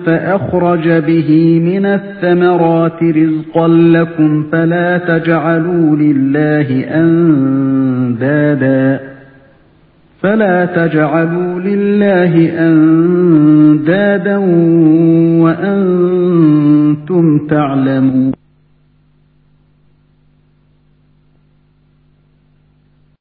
فأخرج به من الثمرات رزقا لكم فلا تجعلوا لله أندادا وأنتم تعلمون.